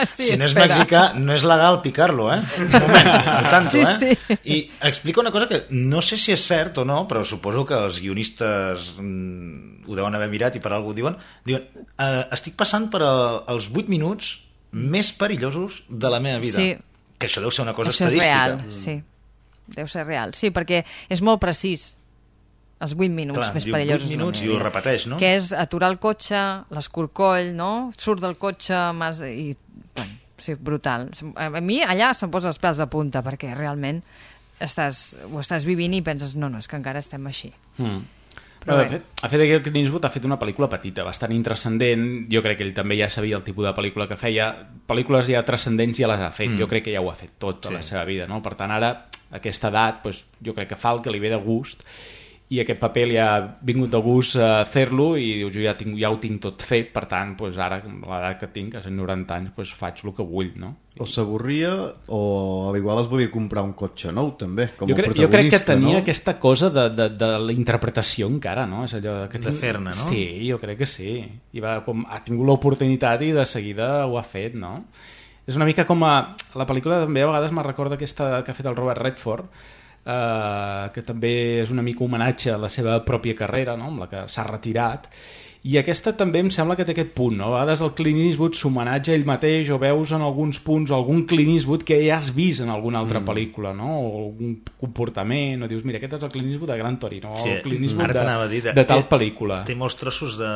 Si no és mexicà, no és legal picar-lo, Un moment, no tanto, Sí. I explica una cosa que no sé si és cert o no, però suposo que els guionistes ho deuen haver mirat i per alguna cosa diuen, estic passant per els 8 minuts més perillosos de la meva vida. Sí. Que això deu ser una cosa això estadística. És real, sí. Deu ser real, sí, perquè és molt precís. Els 8 minuts més perillosos. 8 minuts i ho repeteix, no? Que és aturar el cotxe, l'escorcoll, no? Surt del cotxe i... Bueno, sí, brutal. A mi allà se'm posa els pèls de punta, perquè realment ho estàs vivint i penses, no, és que encara estem així. Però de fet, Clint Eastwood ha fet una pel·lícula petita, bastant intrascendent. Jo crec que ell també ja sabia el tipus de pel·lícula que feia. Pel·lícules ja transcendents ja les ha fet. Jo crec que ja ho ha fet tot a la seva vida, no? Per tant, ara, a aquesta edat, jo crec que fa el que li ve de gust, i aquest paper li ha vingut de gust fer-lo, i diu, jo ja ho tinc tot fet, per tant, ara, amb l'edat que tinc, a 90 anys, faig el que vull, no? O s'avorria, o a l'igual es volia comprar un cotxe nou, també, com a protagonista, jo crec que tenia aquesta cosa de la interpretació encara, no? És allò que de fer-ne, no? Sí, jo crec que sí. I ha tingut l'oportunitat i de seguida ho ha fet, no? És una mica com la pel·lícula també a vegades me recorda aquesta que ha fet el Robert Redford, que també és una mica homenatge a la seva pròpia carrera, no? Amb la que s'ha retirat, i aquesta també em sembla que té aquest punt, no? A vegades el Clint Eastwood s'homenatja ell mateix, o veus en alguns punts algun Clint Eastwood que ja has vist en alguna altra pel·lícula, no? O algun comportament, o dius, mira, aquest és el Clint Eastwood de Gran Torino, o el Clint Eastwood de tal pel·lícula. Té molts trossos de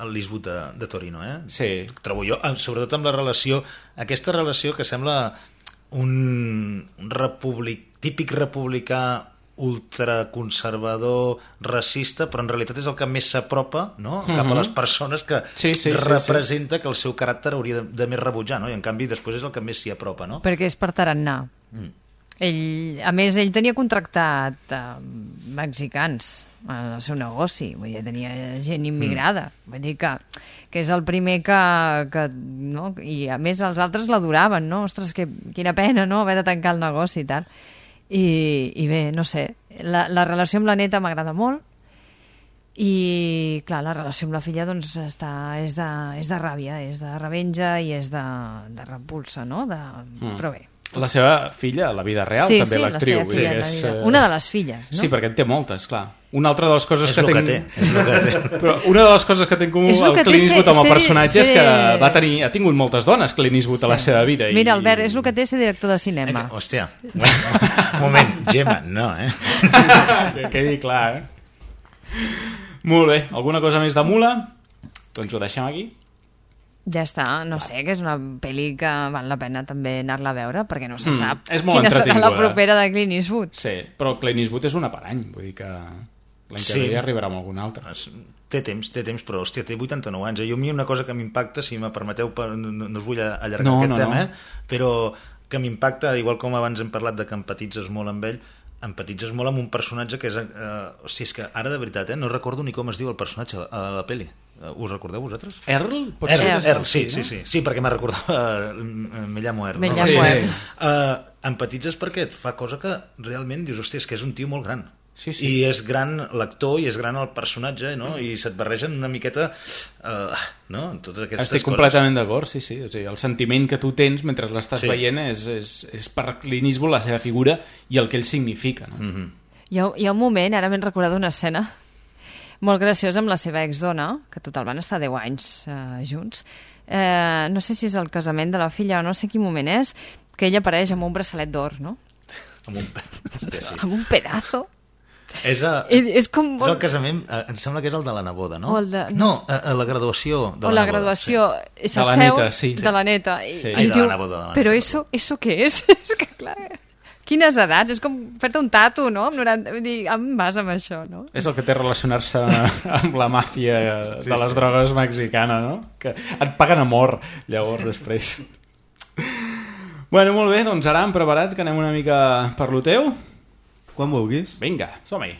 l'Eastwood de Torino, Sí. Trobo jo, sobretot amb la relació, aquesta relació que sembla un típic republicà ultraconservador, racista, però en realitat és el que més s'apropa, no? Cap a les persones que representa que el seu caràcter hauria de més rebutjar, no? I en canvi després és el que més s'hi apropa, no? Perquè és per tarannà. A més, ell tenia contractat mexicans en el seu negoci, vull dir, tenia gent immigrada, vull dir que és el primer que no? I a més els altres l'adoraven, no? Ostres, quina pena, no?, haver de tancar el negoci i tal. I bé, no sé, la relació amb la neta m'agrada molt, i clar, la relació amb la filla doncs és de ràbia, és de revenja i és de repulsa, no? Però bé. La seva filla, a la vida real, també l'actriu. Sí, la seva filla, una de les filles, no? Sí, perquè en té moltes, clar. Una altra de les coses que tinc... Però una de les coses que té en comú el Clint Eastwood amb el personatge és que ha tingut moltes dones Clint Eastwood a la seva vida. Mira, Albert, és el que té ser director de cinema. Hòstia, un moment, Gemma, no, Que quedi clar, Molt bé, alguna cosa més de Mula? Doncs ho deixem aquí. Ja està, no sé, que és una pel·li que val la pena també anar-la a veure, perquè no se sap quina serà la propera de Clint Eastwood. Sí, però Clint Eastwood és una per any, vull dir que l'any que ve arribarà amb algun altre. Té temps, però hòstia, té 89 anys. A mi una cosa que m'impacta, si me permeteu, no us vull allargar aquest tema, però que m'impacta, igual com abans hem parlat de que empatitzes molt amb ell, empatitzes molt amb un personatge que és... o sigui, és que ara de veritat, no recordo ni com es diu el personatge a la pel·li. Us recordeu vosaltres? Earl? Earl, sí, perquè me recordava me llamo Earl. Empatitzes perquè et fa cosa que realment dius, hòstia, és que és un tio molt gran. Sí. I és gran l'actor i és gran el personatge, no? I se't barregen una miqueta no? En totes aquestes Estic completament d'acord, sí. O sigui, el sentiment que tu tens mentre l'estàs veient és per Clint Eastwood la seva figura i el que ell significa, no? Hi ha un moment, ara m'he recordat una escena molt graciosa amb la seva exdona, que total van estar 10 anys junts. No sé si és el casament de la filla o no sé quin moment és, que ella apareix amb un braçalet d'or, no? Amb un pedazo. És com és el casament, em sembla que és el de la neboda, no? No, la graduació de la graduació de la neta, sí. De la neta. I de la neboda. Però eso què és? És que clar, quines edats? És com fer-te un tatu, no? Vull dir, em vas amb això, no? És el que té relacionar-se amb la màfia de les drogues mexicana, no? Que et paguen amor, llavors, després. Bueno, molt bé, doncs ara hem preparat que anem una mica per lo teu. Quan vulguis. Vinga, som-hi.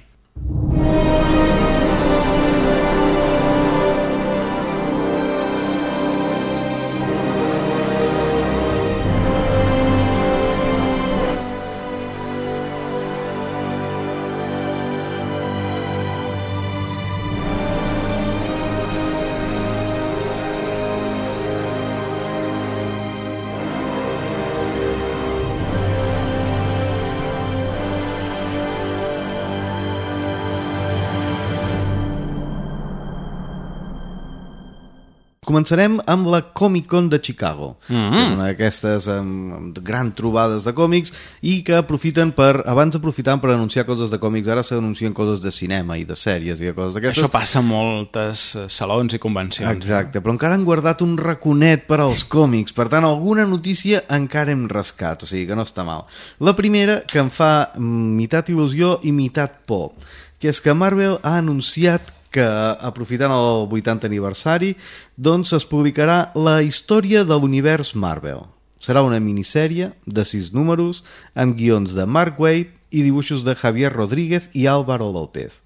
Començarem amb la Comic Con de Chicago, que és una d'aquestes grans trobades de còmics i que aprofiten abans aprofitaven per anunciar coses de còmics, ara s'anuncien coses de cinema i de sèries i de coses d'aquestes. Això passa a moltes salons i convencions. Exacte, però encara han guardat un raconet per als còmics, per tant alguna notícia encara hem rascat, o sigui que no està mal. La primera, que em fa meitat il·lusió i meitat por, que és que Marvel ha anunciat que, aprofitant el 80 aniversari, doncs es publicarà la història de l'univers Marvel. Serà una minissèrie de 6 números amb guions de Mark Waid i dibuixos de Javier Rodríguez i Álvaro López.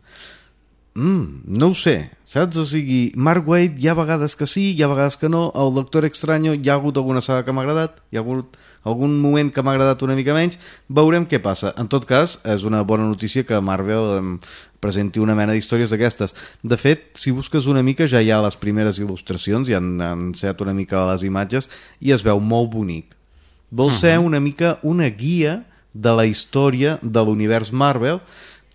No ho sé, saps? O sigui, Mark Waid hi ha vegades que sí, hi ha vegades que no. El Doctor Extraño hi ha hagut alguna saga que m'ha agradat, hi ha hagut algun moment que m'ha agradat una mica menys. Veurem què passa. En tot cas, és una bona notícia que Marvel presenti una mena d'històries d'aquestes. De fet, si busques una mica, ja hi ha les primeres il·lustracions, ja han ensenyat una mica les imatges i es veu molt bonic. Vol ser una mica una guia de la història de l'univers Marvel,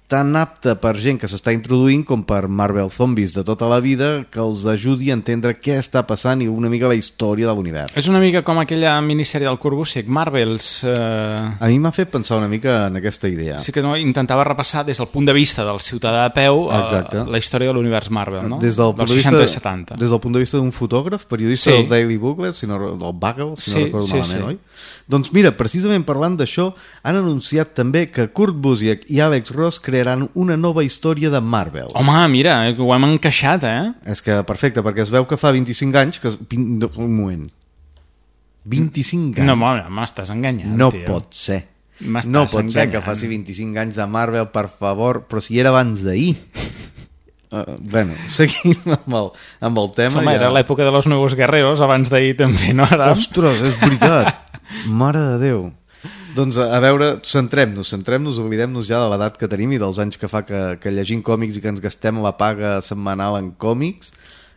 tan apta per gent que s'està introduint com per Marvel Zombies de tota la vida, que els ajudi a entendre què està passant i una mica la història de l'univers. És una mica com aquella minissèrie del Corbusic, Marvels... A mi m'ha fet pensar una mica en aquesta idea. Sí que no, intentava repassar des del punt de vista del ciutadà a peu la història de l'univers Marvel, no? Des del punt dels 60 i 70. Des del punt de vista d'un fotògraf, periodista del Daily Booklet, del Bugle, si no recordo malament, oi? Doncs mira, precisament parlant d'això, han anunciat també que Kurt Busiek i Alex Ross crearan una nova història de Marvel. Home, mira, ho hem encaixat, És que perfecte, perquè es veu que fa 25 anys que... Un moment. 25 anys? No, m'estàs enganyant, no tio. Pot ser. No pot ser que faci 25 anys de Marvel, per favor, però si era abans d'ahir. Bueno, seguim amb el tema. Home, era l'època de los Nuevos Guerreros, abans d'ahir també, no? Ostres, és veritat. Mare de Déu. Doncs a veure, centrem-nos, oblidem-nos ja de l'edat que tenim i dels anys que fa que llegim còmics i que ens gastem la paga setmanal en còmics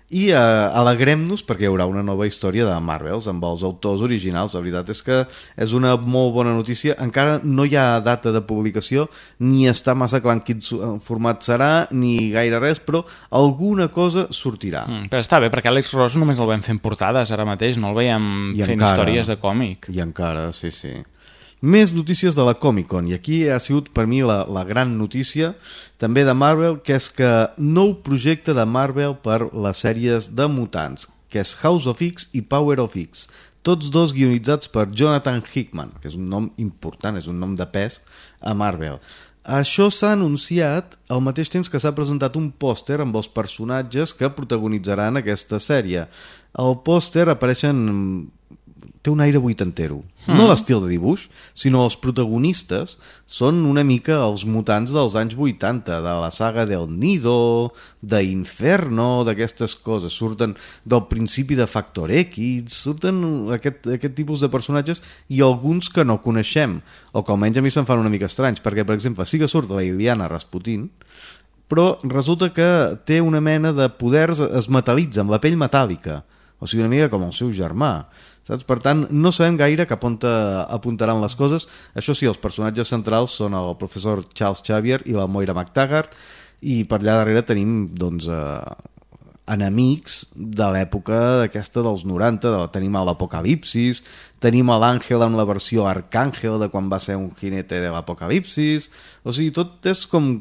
i alegrem-nos perquè hi haurà una nova història de Marvels amb els autors originals. La veritat és que és una molt bona notícia. Encara no hi ha data de publicació, ni està massa clar en quin format serà, ni gaire res, però alguna cosa sortirà. Però està bé, perquè Alex Ross només el vam fent portades ara mateix, no el veiem fent històries de còmic. I encara, sí. Més notícies de la Comic-Con, i aquí ha sigut per mi la gran notícia també de Marvel, que és que nou projecte de Marvel per les sèries de mutants, que és House of X i Power of X, tots dos guionitzats per Jonathan Hickman, que és un nom important, és un nom de pes a Marvel. Això s'ha anunciat al mateix temps que s'ha presentat un pòster amb els personatges que protagonitzaran aquesta sèrie. Al pòster apareixen té un aire vuitantero. No l'estil de dibuix, sinó els protagonistes són una mica els mutants dels anys 80, de la saga del Nido, d'Inferno, d'aquestes coses. Surten del principi de Factor X, surten aquest tipus de personatges i alguns que no coneixem, o que almenys a mi se'm fan una mica estranys, perquè, per exemple, sí que surt la Iliana Rasputin, però resulta que té una mena de poders, es metal·litza amb la pell metàl·lica, o sigui, una mica com el seu germà, saps? Per tant, no sabem gaire cap on apuntaran les coses. Això sí, els personatges centrals són el professor Charles Xavier i la Moira MacTaggart, i per allà darrere tenim, doncs, enemics de l'època aquesta dels 90, tenim l'Apocalipsis, tenim l'Àngel en la versió Arcàngel de quan va ser un jinete de l'Apocalipsis, o sigui, tot és com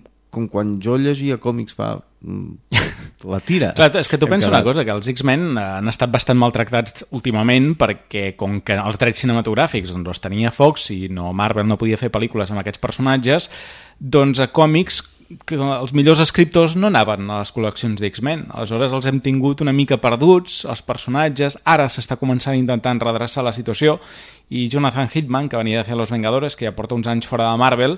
quan jo llegia còmics fa la tira. Clar, és que tu pensa una cosa, que els X-Men han estat bastant maltractats últimament perquè com que els drets cinematogràfics doncs, els tenia Fox i Marvel no podia fer pel·lícules amb aquests personatges, doncs a còmics que els millors escriptors no anaven a les col·leccions d'X-Men. Aleshores els hem tingut una mica perduts, els personatges. Ara s'està començant intentant redreçar la situació i Jonathan Hickman, que venia de fer Los Vengadores, que ja porta uns anys fora de Marvel,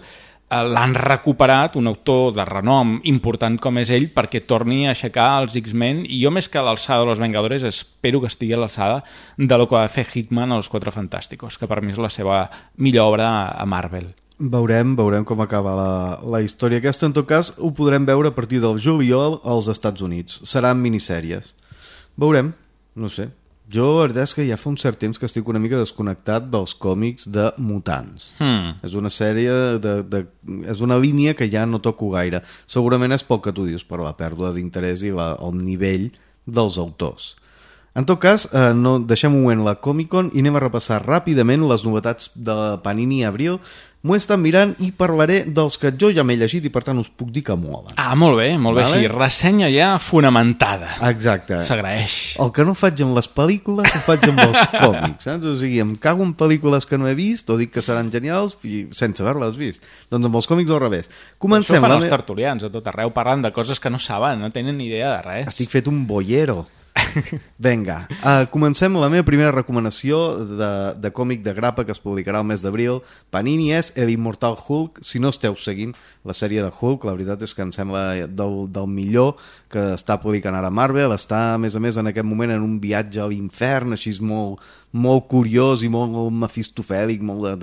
l'han recuperat, un autor de renom important com és ell, perquè torni a aixecar els X-Men, i jo més que a l'alçada de Los Vengadores espero que estigui a l'alçada de lo que va fer Hickman a Los Quatre Fantásticos, que per mi és la seva millor obra a Marvel. Veurem com acaba la història aquesta. En tot cas, ho podrem veure a partir del juliol als Estats Units. Seran minissèries. Veurem, no sé. Jo, la veritat és que ja fa un cert temps que estic una mica desconnectat dels còmics de mutants. És una sèrie, és una línia que ja no toco gaire. Segurament és poc que tu dius per la pèrdua d'interès i el nivell dels autors. En tot cas, deixem un moment la Comic-Con i anem a repassar ràpidament les novetats de Panini Abril. M'ho he estat mirant i parlaré dels que jo ja m'he llegit i per tant us puc dir que molen. Ah, molt bé, vale? Així, ressenya ja fonamentada. Exacte. S'agraeix. El que no faig amb les pel·lícules ho faig amb els còmics, saps? O sigui, em cago en pel·lícules que no he vist o dic que seran genials sense haver-les vist. Doncs amb els còmics al revés. Comencem. Això fan els tertulians a tot arreu, parlant de coses que no saben, no tenen ni idea de res. Estic fet un boiero. Vinga, comencem la meva primera recomanació de còmic de grapa que es publicarà el mes d'abril. Panini és El Immortal Hulk. Si no esteu seguint la sèrie de Hulk, la veritat és que em sembla del millor que està publicant ara Marvel. Està, a més, en aquest moment en un viatge a l'infern, així és molt curiós i molt mefistofèlic, molt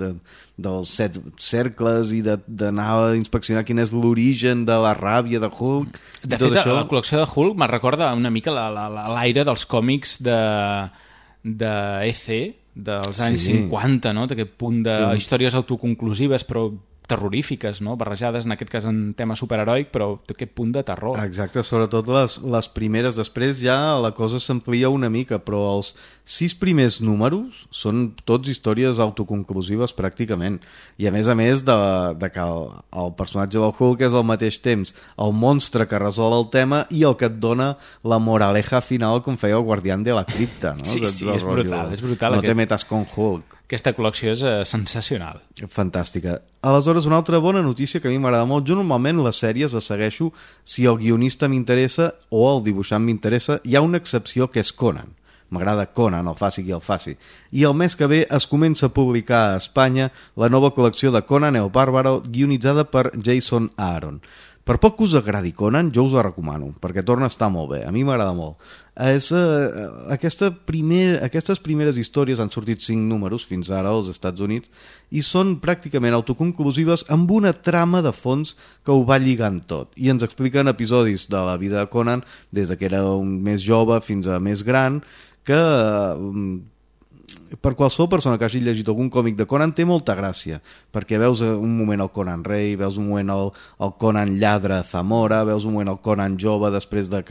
dels 7 cercles i d'anar a inspeccionar quin és l'origen de la ràbia de Hulk. De fet, això... la col·lecció de Hulk me recorda una mica l'aire dels còmics de EC dels anys 50, no? D'aquest punt de històries autoconclusives però terrorífiques, no? Barrejades en aquest cas en tema superheroic, però aquest punt de terror. Exacte, sobretot les primeres. Després ja la cosa s'amplia una mica, però els 6 primers números són tots històries autoconclusives pràcticament, i a més de que el personatge del Hulk és al mateix temps el monstre que resol el tema i el que et dona la moraleja final com feia el Guardián de la Cripta, no? Sí, és brutal. No te metas con Hulk. Aquesta col·lecció és sensacional. Fantàstica. Aleshores, una altra bona notícia que a mi m'agrada molt. Jo normalment les sèries les segueixo si el guionista m'interessa o el dibuixant m'interessa. Hi ha una excepció que és Conan. M'agrada Conan, el faci qui el faci. I el mes que ve es comença a publicar a Espanya la nova col·lecció de Conan el Bàrbaro, guionitzada per Jason Aaron. Per poc que us agradi Conan, jo us la recomano, perquè torna a estar molt bé. A mi m'agrada molt. Aquestes primeres històries han sortit 5 números fins ara als Estats Units i són pràcticament autoconclusives amb una trama de fons que ho va lligant tot. I ens expliquen episodis de la vida de Conan des que era un més jove fins a més gran, que per qualsevol persona que hagi llegit algun còmic de Conan té molta gràcia, perquè veus un moment el Conan rei, veus un moment el Conan lladre a Zamora, veus un moment el Conan jove després de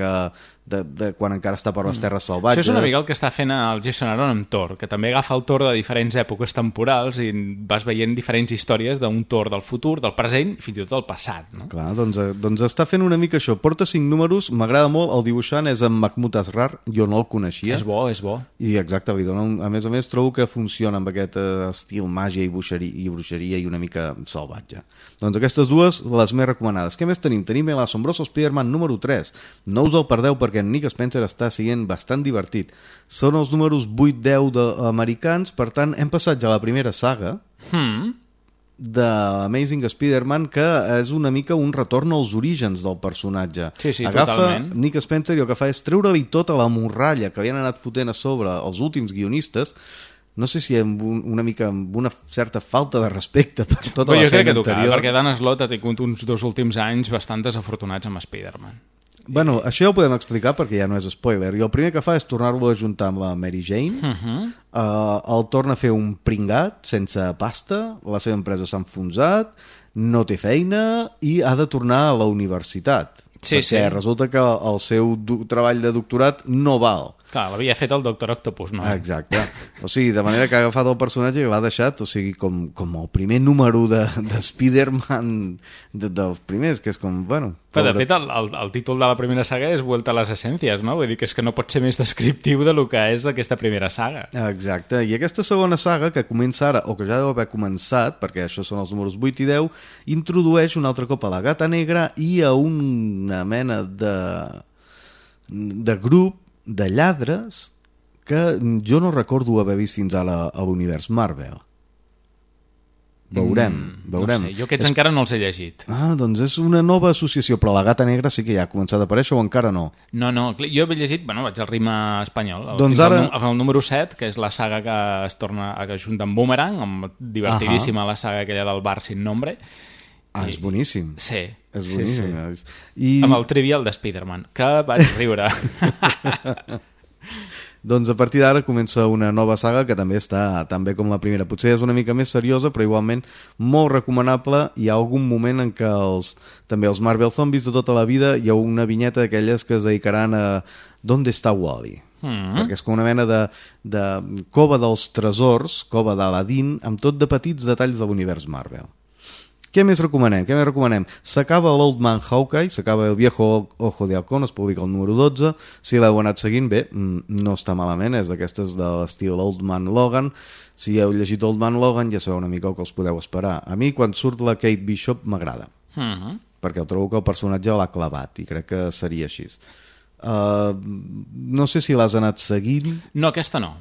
quan encara està per les terres salvatges. Això és una mica el que està fent el Jason Aaron amb Thor, que també agafa el Thor de diferents èpoques temporals i vas veient diferents històries d'un Thor del futur, del present i fins i tot del passat, no? Clar, doncs està fent una mica això. Porta 5 números, m'agrada molt, el dibuixant és en Mahmoud Asrar, jo no el coneixia. És bo. I exacte, li dona a més, trobo que funciona amb aquest estil màgia i bruixeria i una mica salvatge. Doncs aquestes dues, les més recomanades. Què més tenim? Tenim El Asombroso Spider-Man número 3. No us el perdeu perquè perquè en Nick Spencer està sent bastant divertit. Són els números 8-10 americans, per tant, hem passat ja a la primera saga d'Amazing Spider-Man, que és una mica un retorn als orígens del personatge. Sí, Agafa totalment. Nick Spencer i el que fa és treure-li tota la morralla que havien anat fotent a sobre els últims guionistes, no sé si amb una certa falta de respecte per tota la feina anterior. Jo crec que tocava, perquè Dan Slott ha tingut uns 2 últims anys bastant desafortunats amb Spider-Man. Bueno, això ja ho podem explicar perquè ja no és spoiler. I el primer que fa és tornar-lo a ajuntar amb la Mary Jane. El torna a fer un pringat sense pasta, la seva empresa s'ha enfonsat, no té feina i ha de tornar a la universitat. Perquè resulta que el seu treball de doctorat no val. Clar, l'havia fet el Doctor Octopus, no? Exacte. O sigui, de manera que ha agafat el personatge i l'ha deixat, o sigui, com el primer número de Spider-Man dels primers, que és com, bueno... Però, de fet, el títol de la primera saga és Vuelta a les Essències, no? Vull dir que és que no pot ser més descriptiu de lo que és aquesta primera saga. Exacte. I aquesta segona saga, que comença ara, o que ja deu haver començat, perquè això són els números 8 i 10, introdueix un altre cop a la Gata Negra i a una mena de grup de lladres que jo no recordo haver vist fins ara a l'univers Marvel. Veurem. No sé, jo aquests encara no els he llegit. Doncs és una nova associació, però la Gata Negra sí que ja ha començat a aparèixer o encara no? No, jo he llegit, vaig al ritme espanyol, doncs fins ara... al número 7, que és la saga que es torna a juntar amb Boomerang, amb divertidíssima la saga aquella del bar sin nombre. És boníssim. Sí. És boníssim. Sí. Amb el trivial de Spider-Man, que vaig riure. Doncs a partir d'ara comença una nova saga que també està tan bé com la primera. Potser és una mica més seriosa, però igualment molt recomanable. Hi ha algun moment en què també els Marvel Zombies de tota la vida hi ha una vinyeta d'aquelles que es dedicaran a ¿Dónde está Wally? Perquè és com una mena de cova dels tresors, cova d'Aladín, amb tot de petits detalls de l'univers Marvel. Què més recomanem? S'acaba l'Old Man Hawkeye, s'acaba el Viejo Ojo de Halcón, es publica el número 12. Si l'heu anat seguint bé, no està malament, és d'aquestes de l'estil Old Man Logan. Si heu llegit Old Man Logan ja sabeu una mica el que us podeu esperar. A mi, quan surt la Kate Bishop, m'agrada. Perquè trobo que el personatge l'ha clavat i crec que seria així. No sé si l'has anat seguint. No, aquesta no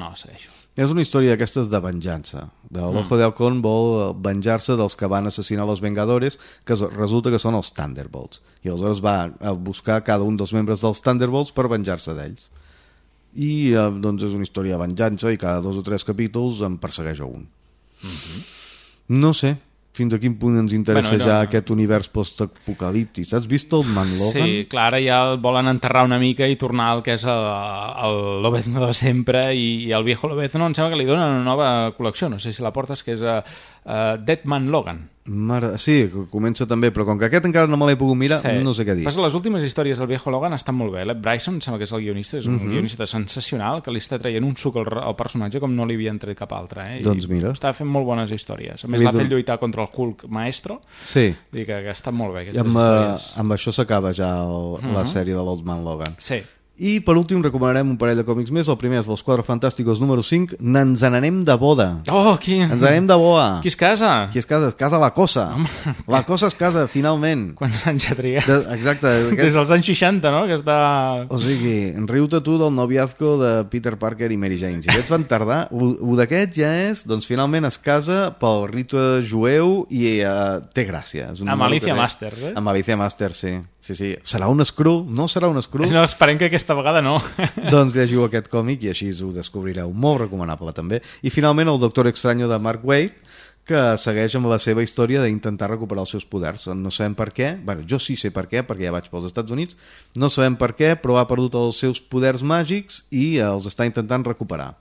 la segueixo. És una història d'aquestes de venjança. L'Ojo de Halcón vol venjar-se dels que van assassinar els Vengadores, que resulta que són els Thunderbolts. I aleshores va a buscar cada un dels membres dels Thunderbolts per venjar-se d'ells. I doncs és una història de venjança i cada 2 o 3 capítols en persegueix a un. No sé fins a quin punt ens interessa ja aquest univers post-apocalíptic. Has vist el Man Logan? Sí, clar, ara ja el volen enterrar una mica i tornar al que és el Lobezno de sempre, i el Viejo Lobezno em sembla que li donen una nova col·lecció, no sé si la portes, que és Dead Man Logan. Sí, comença també, però com que aquest encara no me l'he pogut mirar, no sé què dir. Les últimes històries del Viejo Logan estan molt bé. L'Ed Bryson, sembla que és el guionista, és un guionista sensacional, que li està traient un suc al personatge com no li havien tret cap altre. Doncs mira. Està fent molt bones històries. A més, l'ha fet lluitar contra el Hulk Maestro. Sí. Dic que estan molt bé aquestes històries. Amb això s'acaba ja la sèrie de l'Old Man Logan. Sí. I per últim recomanarem un parell de còmics més. El primer és Los Cuatro Fantásticos número 5. Ens n'anem de boda. Ens anem de boda. Qui es casa? Es casa la Cosa. La Cosa es casa, finalment. Quants anys ha trigat? Exacte. Des dels anys 60, no? Que està... O sigui, riu-te tu del noviazgo de Peter Parker i Mary Jane. Si aquests van tardar, un d'aquests ja és, doncs finalment es casa pel ritu jueu i té gràcia. Amb Alicia Master, eh? Amb Alicia Master, sí. Serà un Skrull? No serà un Skrull? No, esperem que aquesta vegada no. Doncs llegiu aquest còmic i així ho descobrireu. Molt recomanable també. I finalment el Doctor Extraño de Mark Waid, que segueix amb la seva història d'intentar recuperar els seus poders. No sabem per què, jo sí sé per què, perquè ja vaig pels Estats Units, no sabem per què, però ha perdut els seus poders màgics i els està intentant recuperar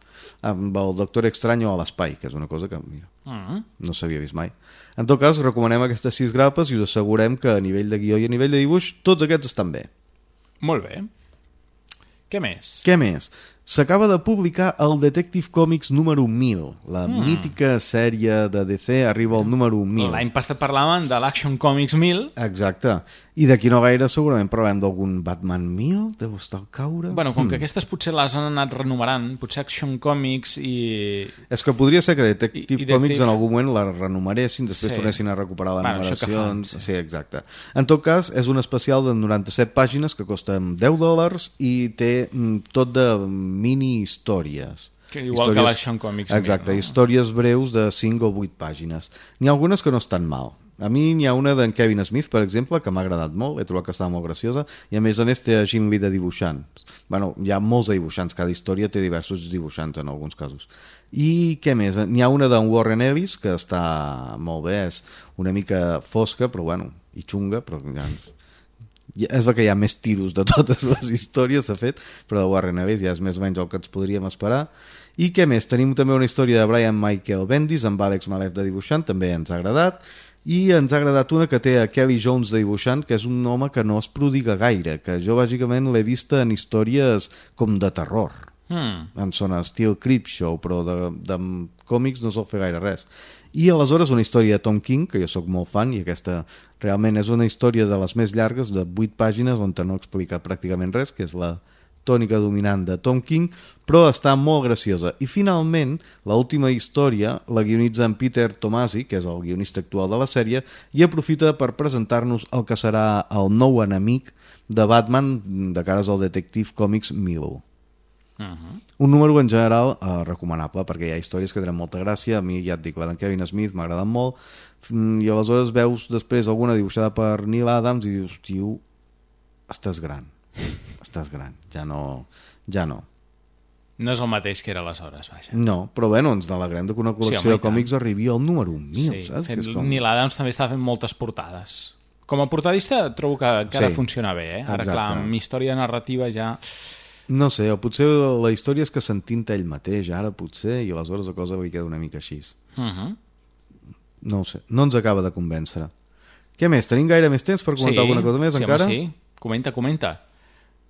amb el Doctor Extraño a l'espai, que és una cosa que no s'havia vist mai. En tot cas, recomanem aquestes 6 grapes i us assegurem que a nivell de guió i a nivell de dibuix tots aquests estan bé. Molt bé. Què més? s'acaba de publicar el Detective Comics número 1000. La mítica sèrie de DC arriba al número 1000. L'any passat parlàvem de l'Action Comics 1000. Exacte. I d'aquí no gaire segurament parlarem d'algun Batman 1000, deu estar al caure. Bueno, com que aquestes potser les han anat renumerant, potser Action Comics i... És que podria ser que Detective Comics en algun moment la renumeressin, després tornessin a recuperar les numeracions. Sí, exacte. En tot cas, és un especial de 97 pàgines que costen $10 i té tot de mini-històries. Igual que l'Action Comics. Exacte, històries breus de 5 o 8 pàgines. N'hi ha algunes que no estan mal. A mi n'hi ha una d'en Kevin Smith, per exemple, que m'ha agradat molt, he trobat que estava molt graciosa, i a més té a Jim Lee de dibuixant. Bueno, hi ha molts de dibuixants, cada història té diversos dibuixants en alguns casos. I què més? N'hi ha una d'en Warren Ellis, que està molt bé, és una mica fosca, però bueno, i xunga, però ja... És el que hi ha més tiros de totes les històries, s'ha fet, però de Warren Ellis ja és més o menys el que ens podríem esperar. I què més? Tenim també una història de Brian Michael Bendis amb Alex Malev de dibuixant, també ens ha agradat. I ens ha agradat una que té a Kelly Jones de dibuixant, que és un home que no es prodiga gaire, que jo bàsicament l'he vista en històries com de terror. Em sona estil Creepshow, però de còmics no sol fer gaire res. I aleshores una història de Tom King, que jo sóc molt fan, i aquesta realment és una història de les més llargues, de 8 pàgines, on no he explicat pràcticament res, que és la tònica dominant de Tom King, però està molt graciosa. I finalment, l'última història la guionitza en Peter Tomasi, que és el guionista actual de la sèrie, i aprofita per presentar-nos el que serà el nou enemic de Batman de cares al Detective Comics 1000. Un número en general recomanable, perquè hi ha històries que tenen molta gràcia. A mi ja et dic, la d'en Kevin Smith m'ha agradat molt, i aleshores veus després alguna dibuixada per Neil Adams i dius, tio, estàs gran, ja no. No és el mateix que era aleshores, vaja. No, però bueno, ens n'alegrem que una col·lecció de còmics arribi al número 1000, saps? Neil Adams també està fent moltes portades. Com a portadista trobo que ha de funcionar bé, Ara, clar, amb història narrativa ja... No sé, o potser la història és que s'entinta ell mateix, ara potser, i aleshores la cosa li queda una mica així. No ho sé, no ens acaba de convèncer. Què més? Tenim gaire més temps per comentar alguna cosa més encara? Sí, comenta.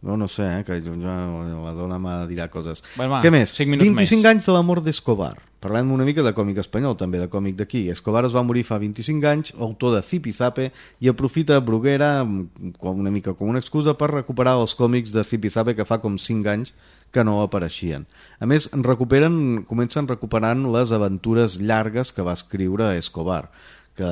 No sé, que la dona m'ha dirà coses. Bueno, què més? 25 més. anys de la mort d'Escobar. Parlem una mica de còmic espanyol, també de còmic d'aquí. Escobar es va morir fa 25 anys, autor de Zipizape, i aprofita Bruguera una mica com una excusa per recuperar els còmics de Zipizape que fa com 5 anys que no apareixien. A més, comencen recuperant les aventures llargues que va escriure Escobar, que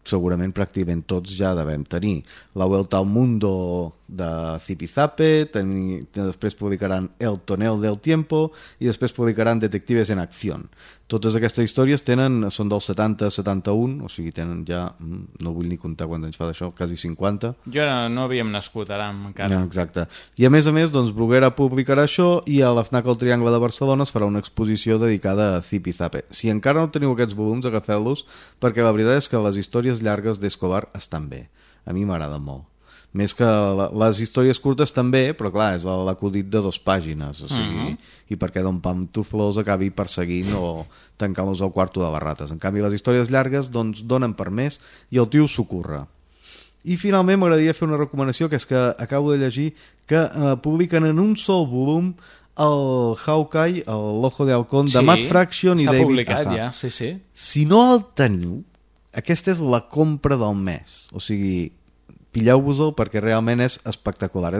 segurament pràcticament tots ja devem tenir. La Vuelta al Mundo de Zipizape, després publicaran El Tonel del Tiempo i després publicaran Detectives en Acción. Totes aquestes històries són del 70-71, o sigui, tenen ja, no vull ni comptar quants anys fa d'això, quasi 50. Jo no havíem nascut ara encara. Exacte. I a més, doncs, Bruguera publicarà això i a la FNAC al Triangle de Barcelona es farà una exposició dedicada a Zipizape. Si encara no teniu aquests volums, agafeu-los, perquè la veritat és que les històries llargues d'Escobar estan bé. A mi m'agraden molt. Més que les històries curtes també, però clar, és l'acudit de 2 pàgines, o sigui, i perquè Don Pantuflos acabi perseguint o tancant-los al quarto de les rates. En canvi, les històries llargues doncs donen per més i el tio s'ho curra. I finalment m'agradaria fer una recomanació, que és que acabo de llegir que publiquen en un sol volum el Hawkeye, l'Ojo de Halcón, de Matt Fraction i David Aja. Està publicat ja, sí. Si no el teniu, aquesta és la compra del mes, o sigui... Pilleu-vos-el perquè realment és espectacular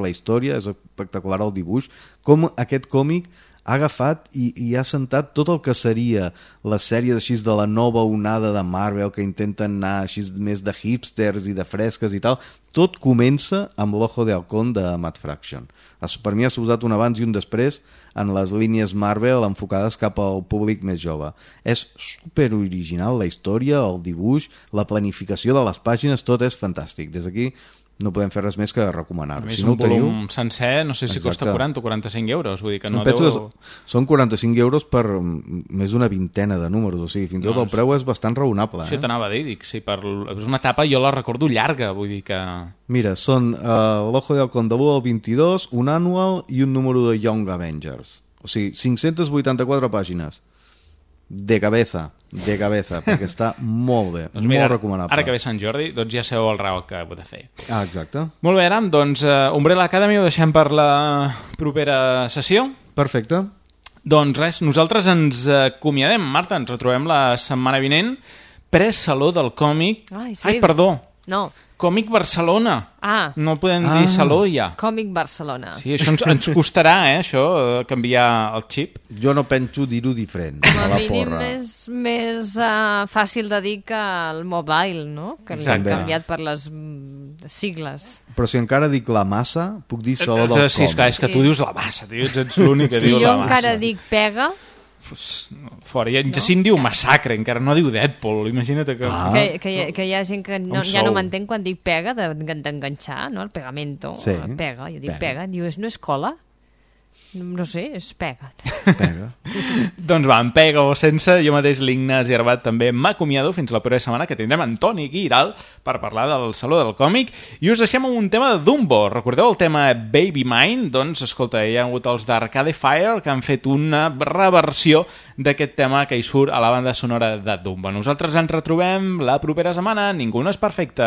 la història, és espectacular el dibuix, com aquest còmic ha agafat i ha sentat tot el que seria les sèries així de la nova onada de Marvel, que intenten anar així més de hipsters i de fresques i tal. Tot comença amb l'Ojo de Halcón de Matt Fraction. Per mi ha suposat un abans i un després en les línies Marvel enfocades cap al públic més jove. És super original la història, el dibuix, la planificació de les pàgines, tot és fantàstic. Des d'aquí no podem fer res més que recomanar-ho. A més, un volum sencer, no sé si costa 40 o 45 euros. Vull dir que no són 45 euros per més d'una vintena de números, o sigui, fins i tot el preu és bastant raonable. Això t'anava a dir, és una etapa, jo la recordo llarga, vull dir que... Mira, són l'Ojo de Halcón de l'1 al 22, un annual i un número de Young Avengers. O sigui, 584 pàgines. de cabeza, perquè està molt bé, doncs mira, molt recomanable. Ara que ve Sant Jordi, doncs ja sabeu el raó que heu de fer. Ah, exacte. Molt bé, Aram, doncs Umbrella Academy ho deixem per la propera sessió. Perfecte. Doncs res, nosaltres ens acomiadem, Marta, ens retrobem la setmana vinent, pre-saló del còmic... Ai, perdó. No. Còmic Barcelona. Ah. No podem dir saló ja. Còmic Barcelona. Sí, això ens costarà, això, canviar el xip. Jo no penso dir-ho diferent, a la porra. És més fàcil de dir que el mobile, no? Que l'han canviat per les sigles. Però si encara dic la massa, puc dir saló del còmic. Sí, esclar, és que tu dius la massa, tio, ets l'únic que diu la massa. Si jo encara dic pega... Fora, i en Jacint diu massacre, encara no diu Deadpool, imagina't que... Que hi ha gent que ja no m'entén quan dic pega, d'enganxar, no? El pegamento, pega, jo dic pega, diu, no és cola? No sé, és pega. Doncs va, amb pega o sense, jo mateix, l'Ignasi Arbat, també m'acomiado fins la propera setmana, que tindrem en Toni Guiral per parlar del Saló del Còmic, i us deixem amb un tema de Dumbo. Recordeu el tema Baby Mine? Doncs, escolta, hi ha hagut els d'Arcade Fire que han fet una reversió d'aquest tema que hi surt a la banda sonora de Dumbo. Nosaltres ens retrobem la propera setmana. Ningú no és perfecte.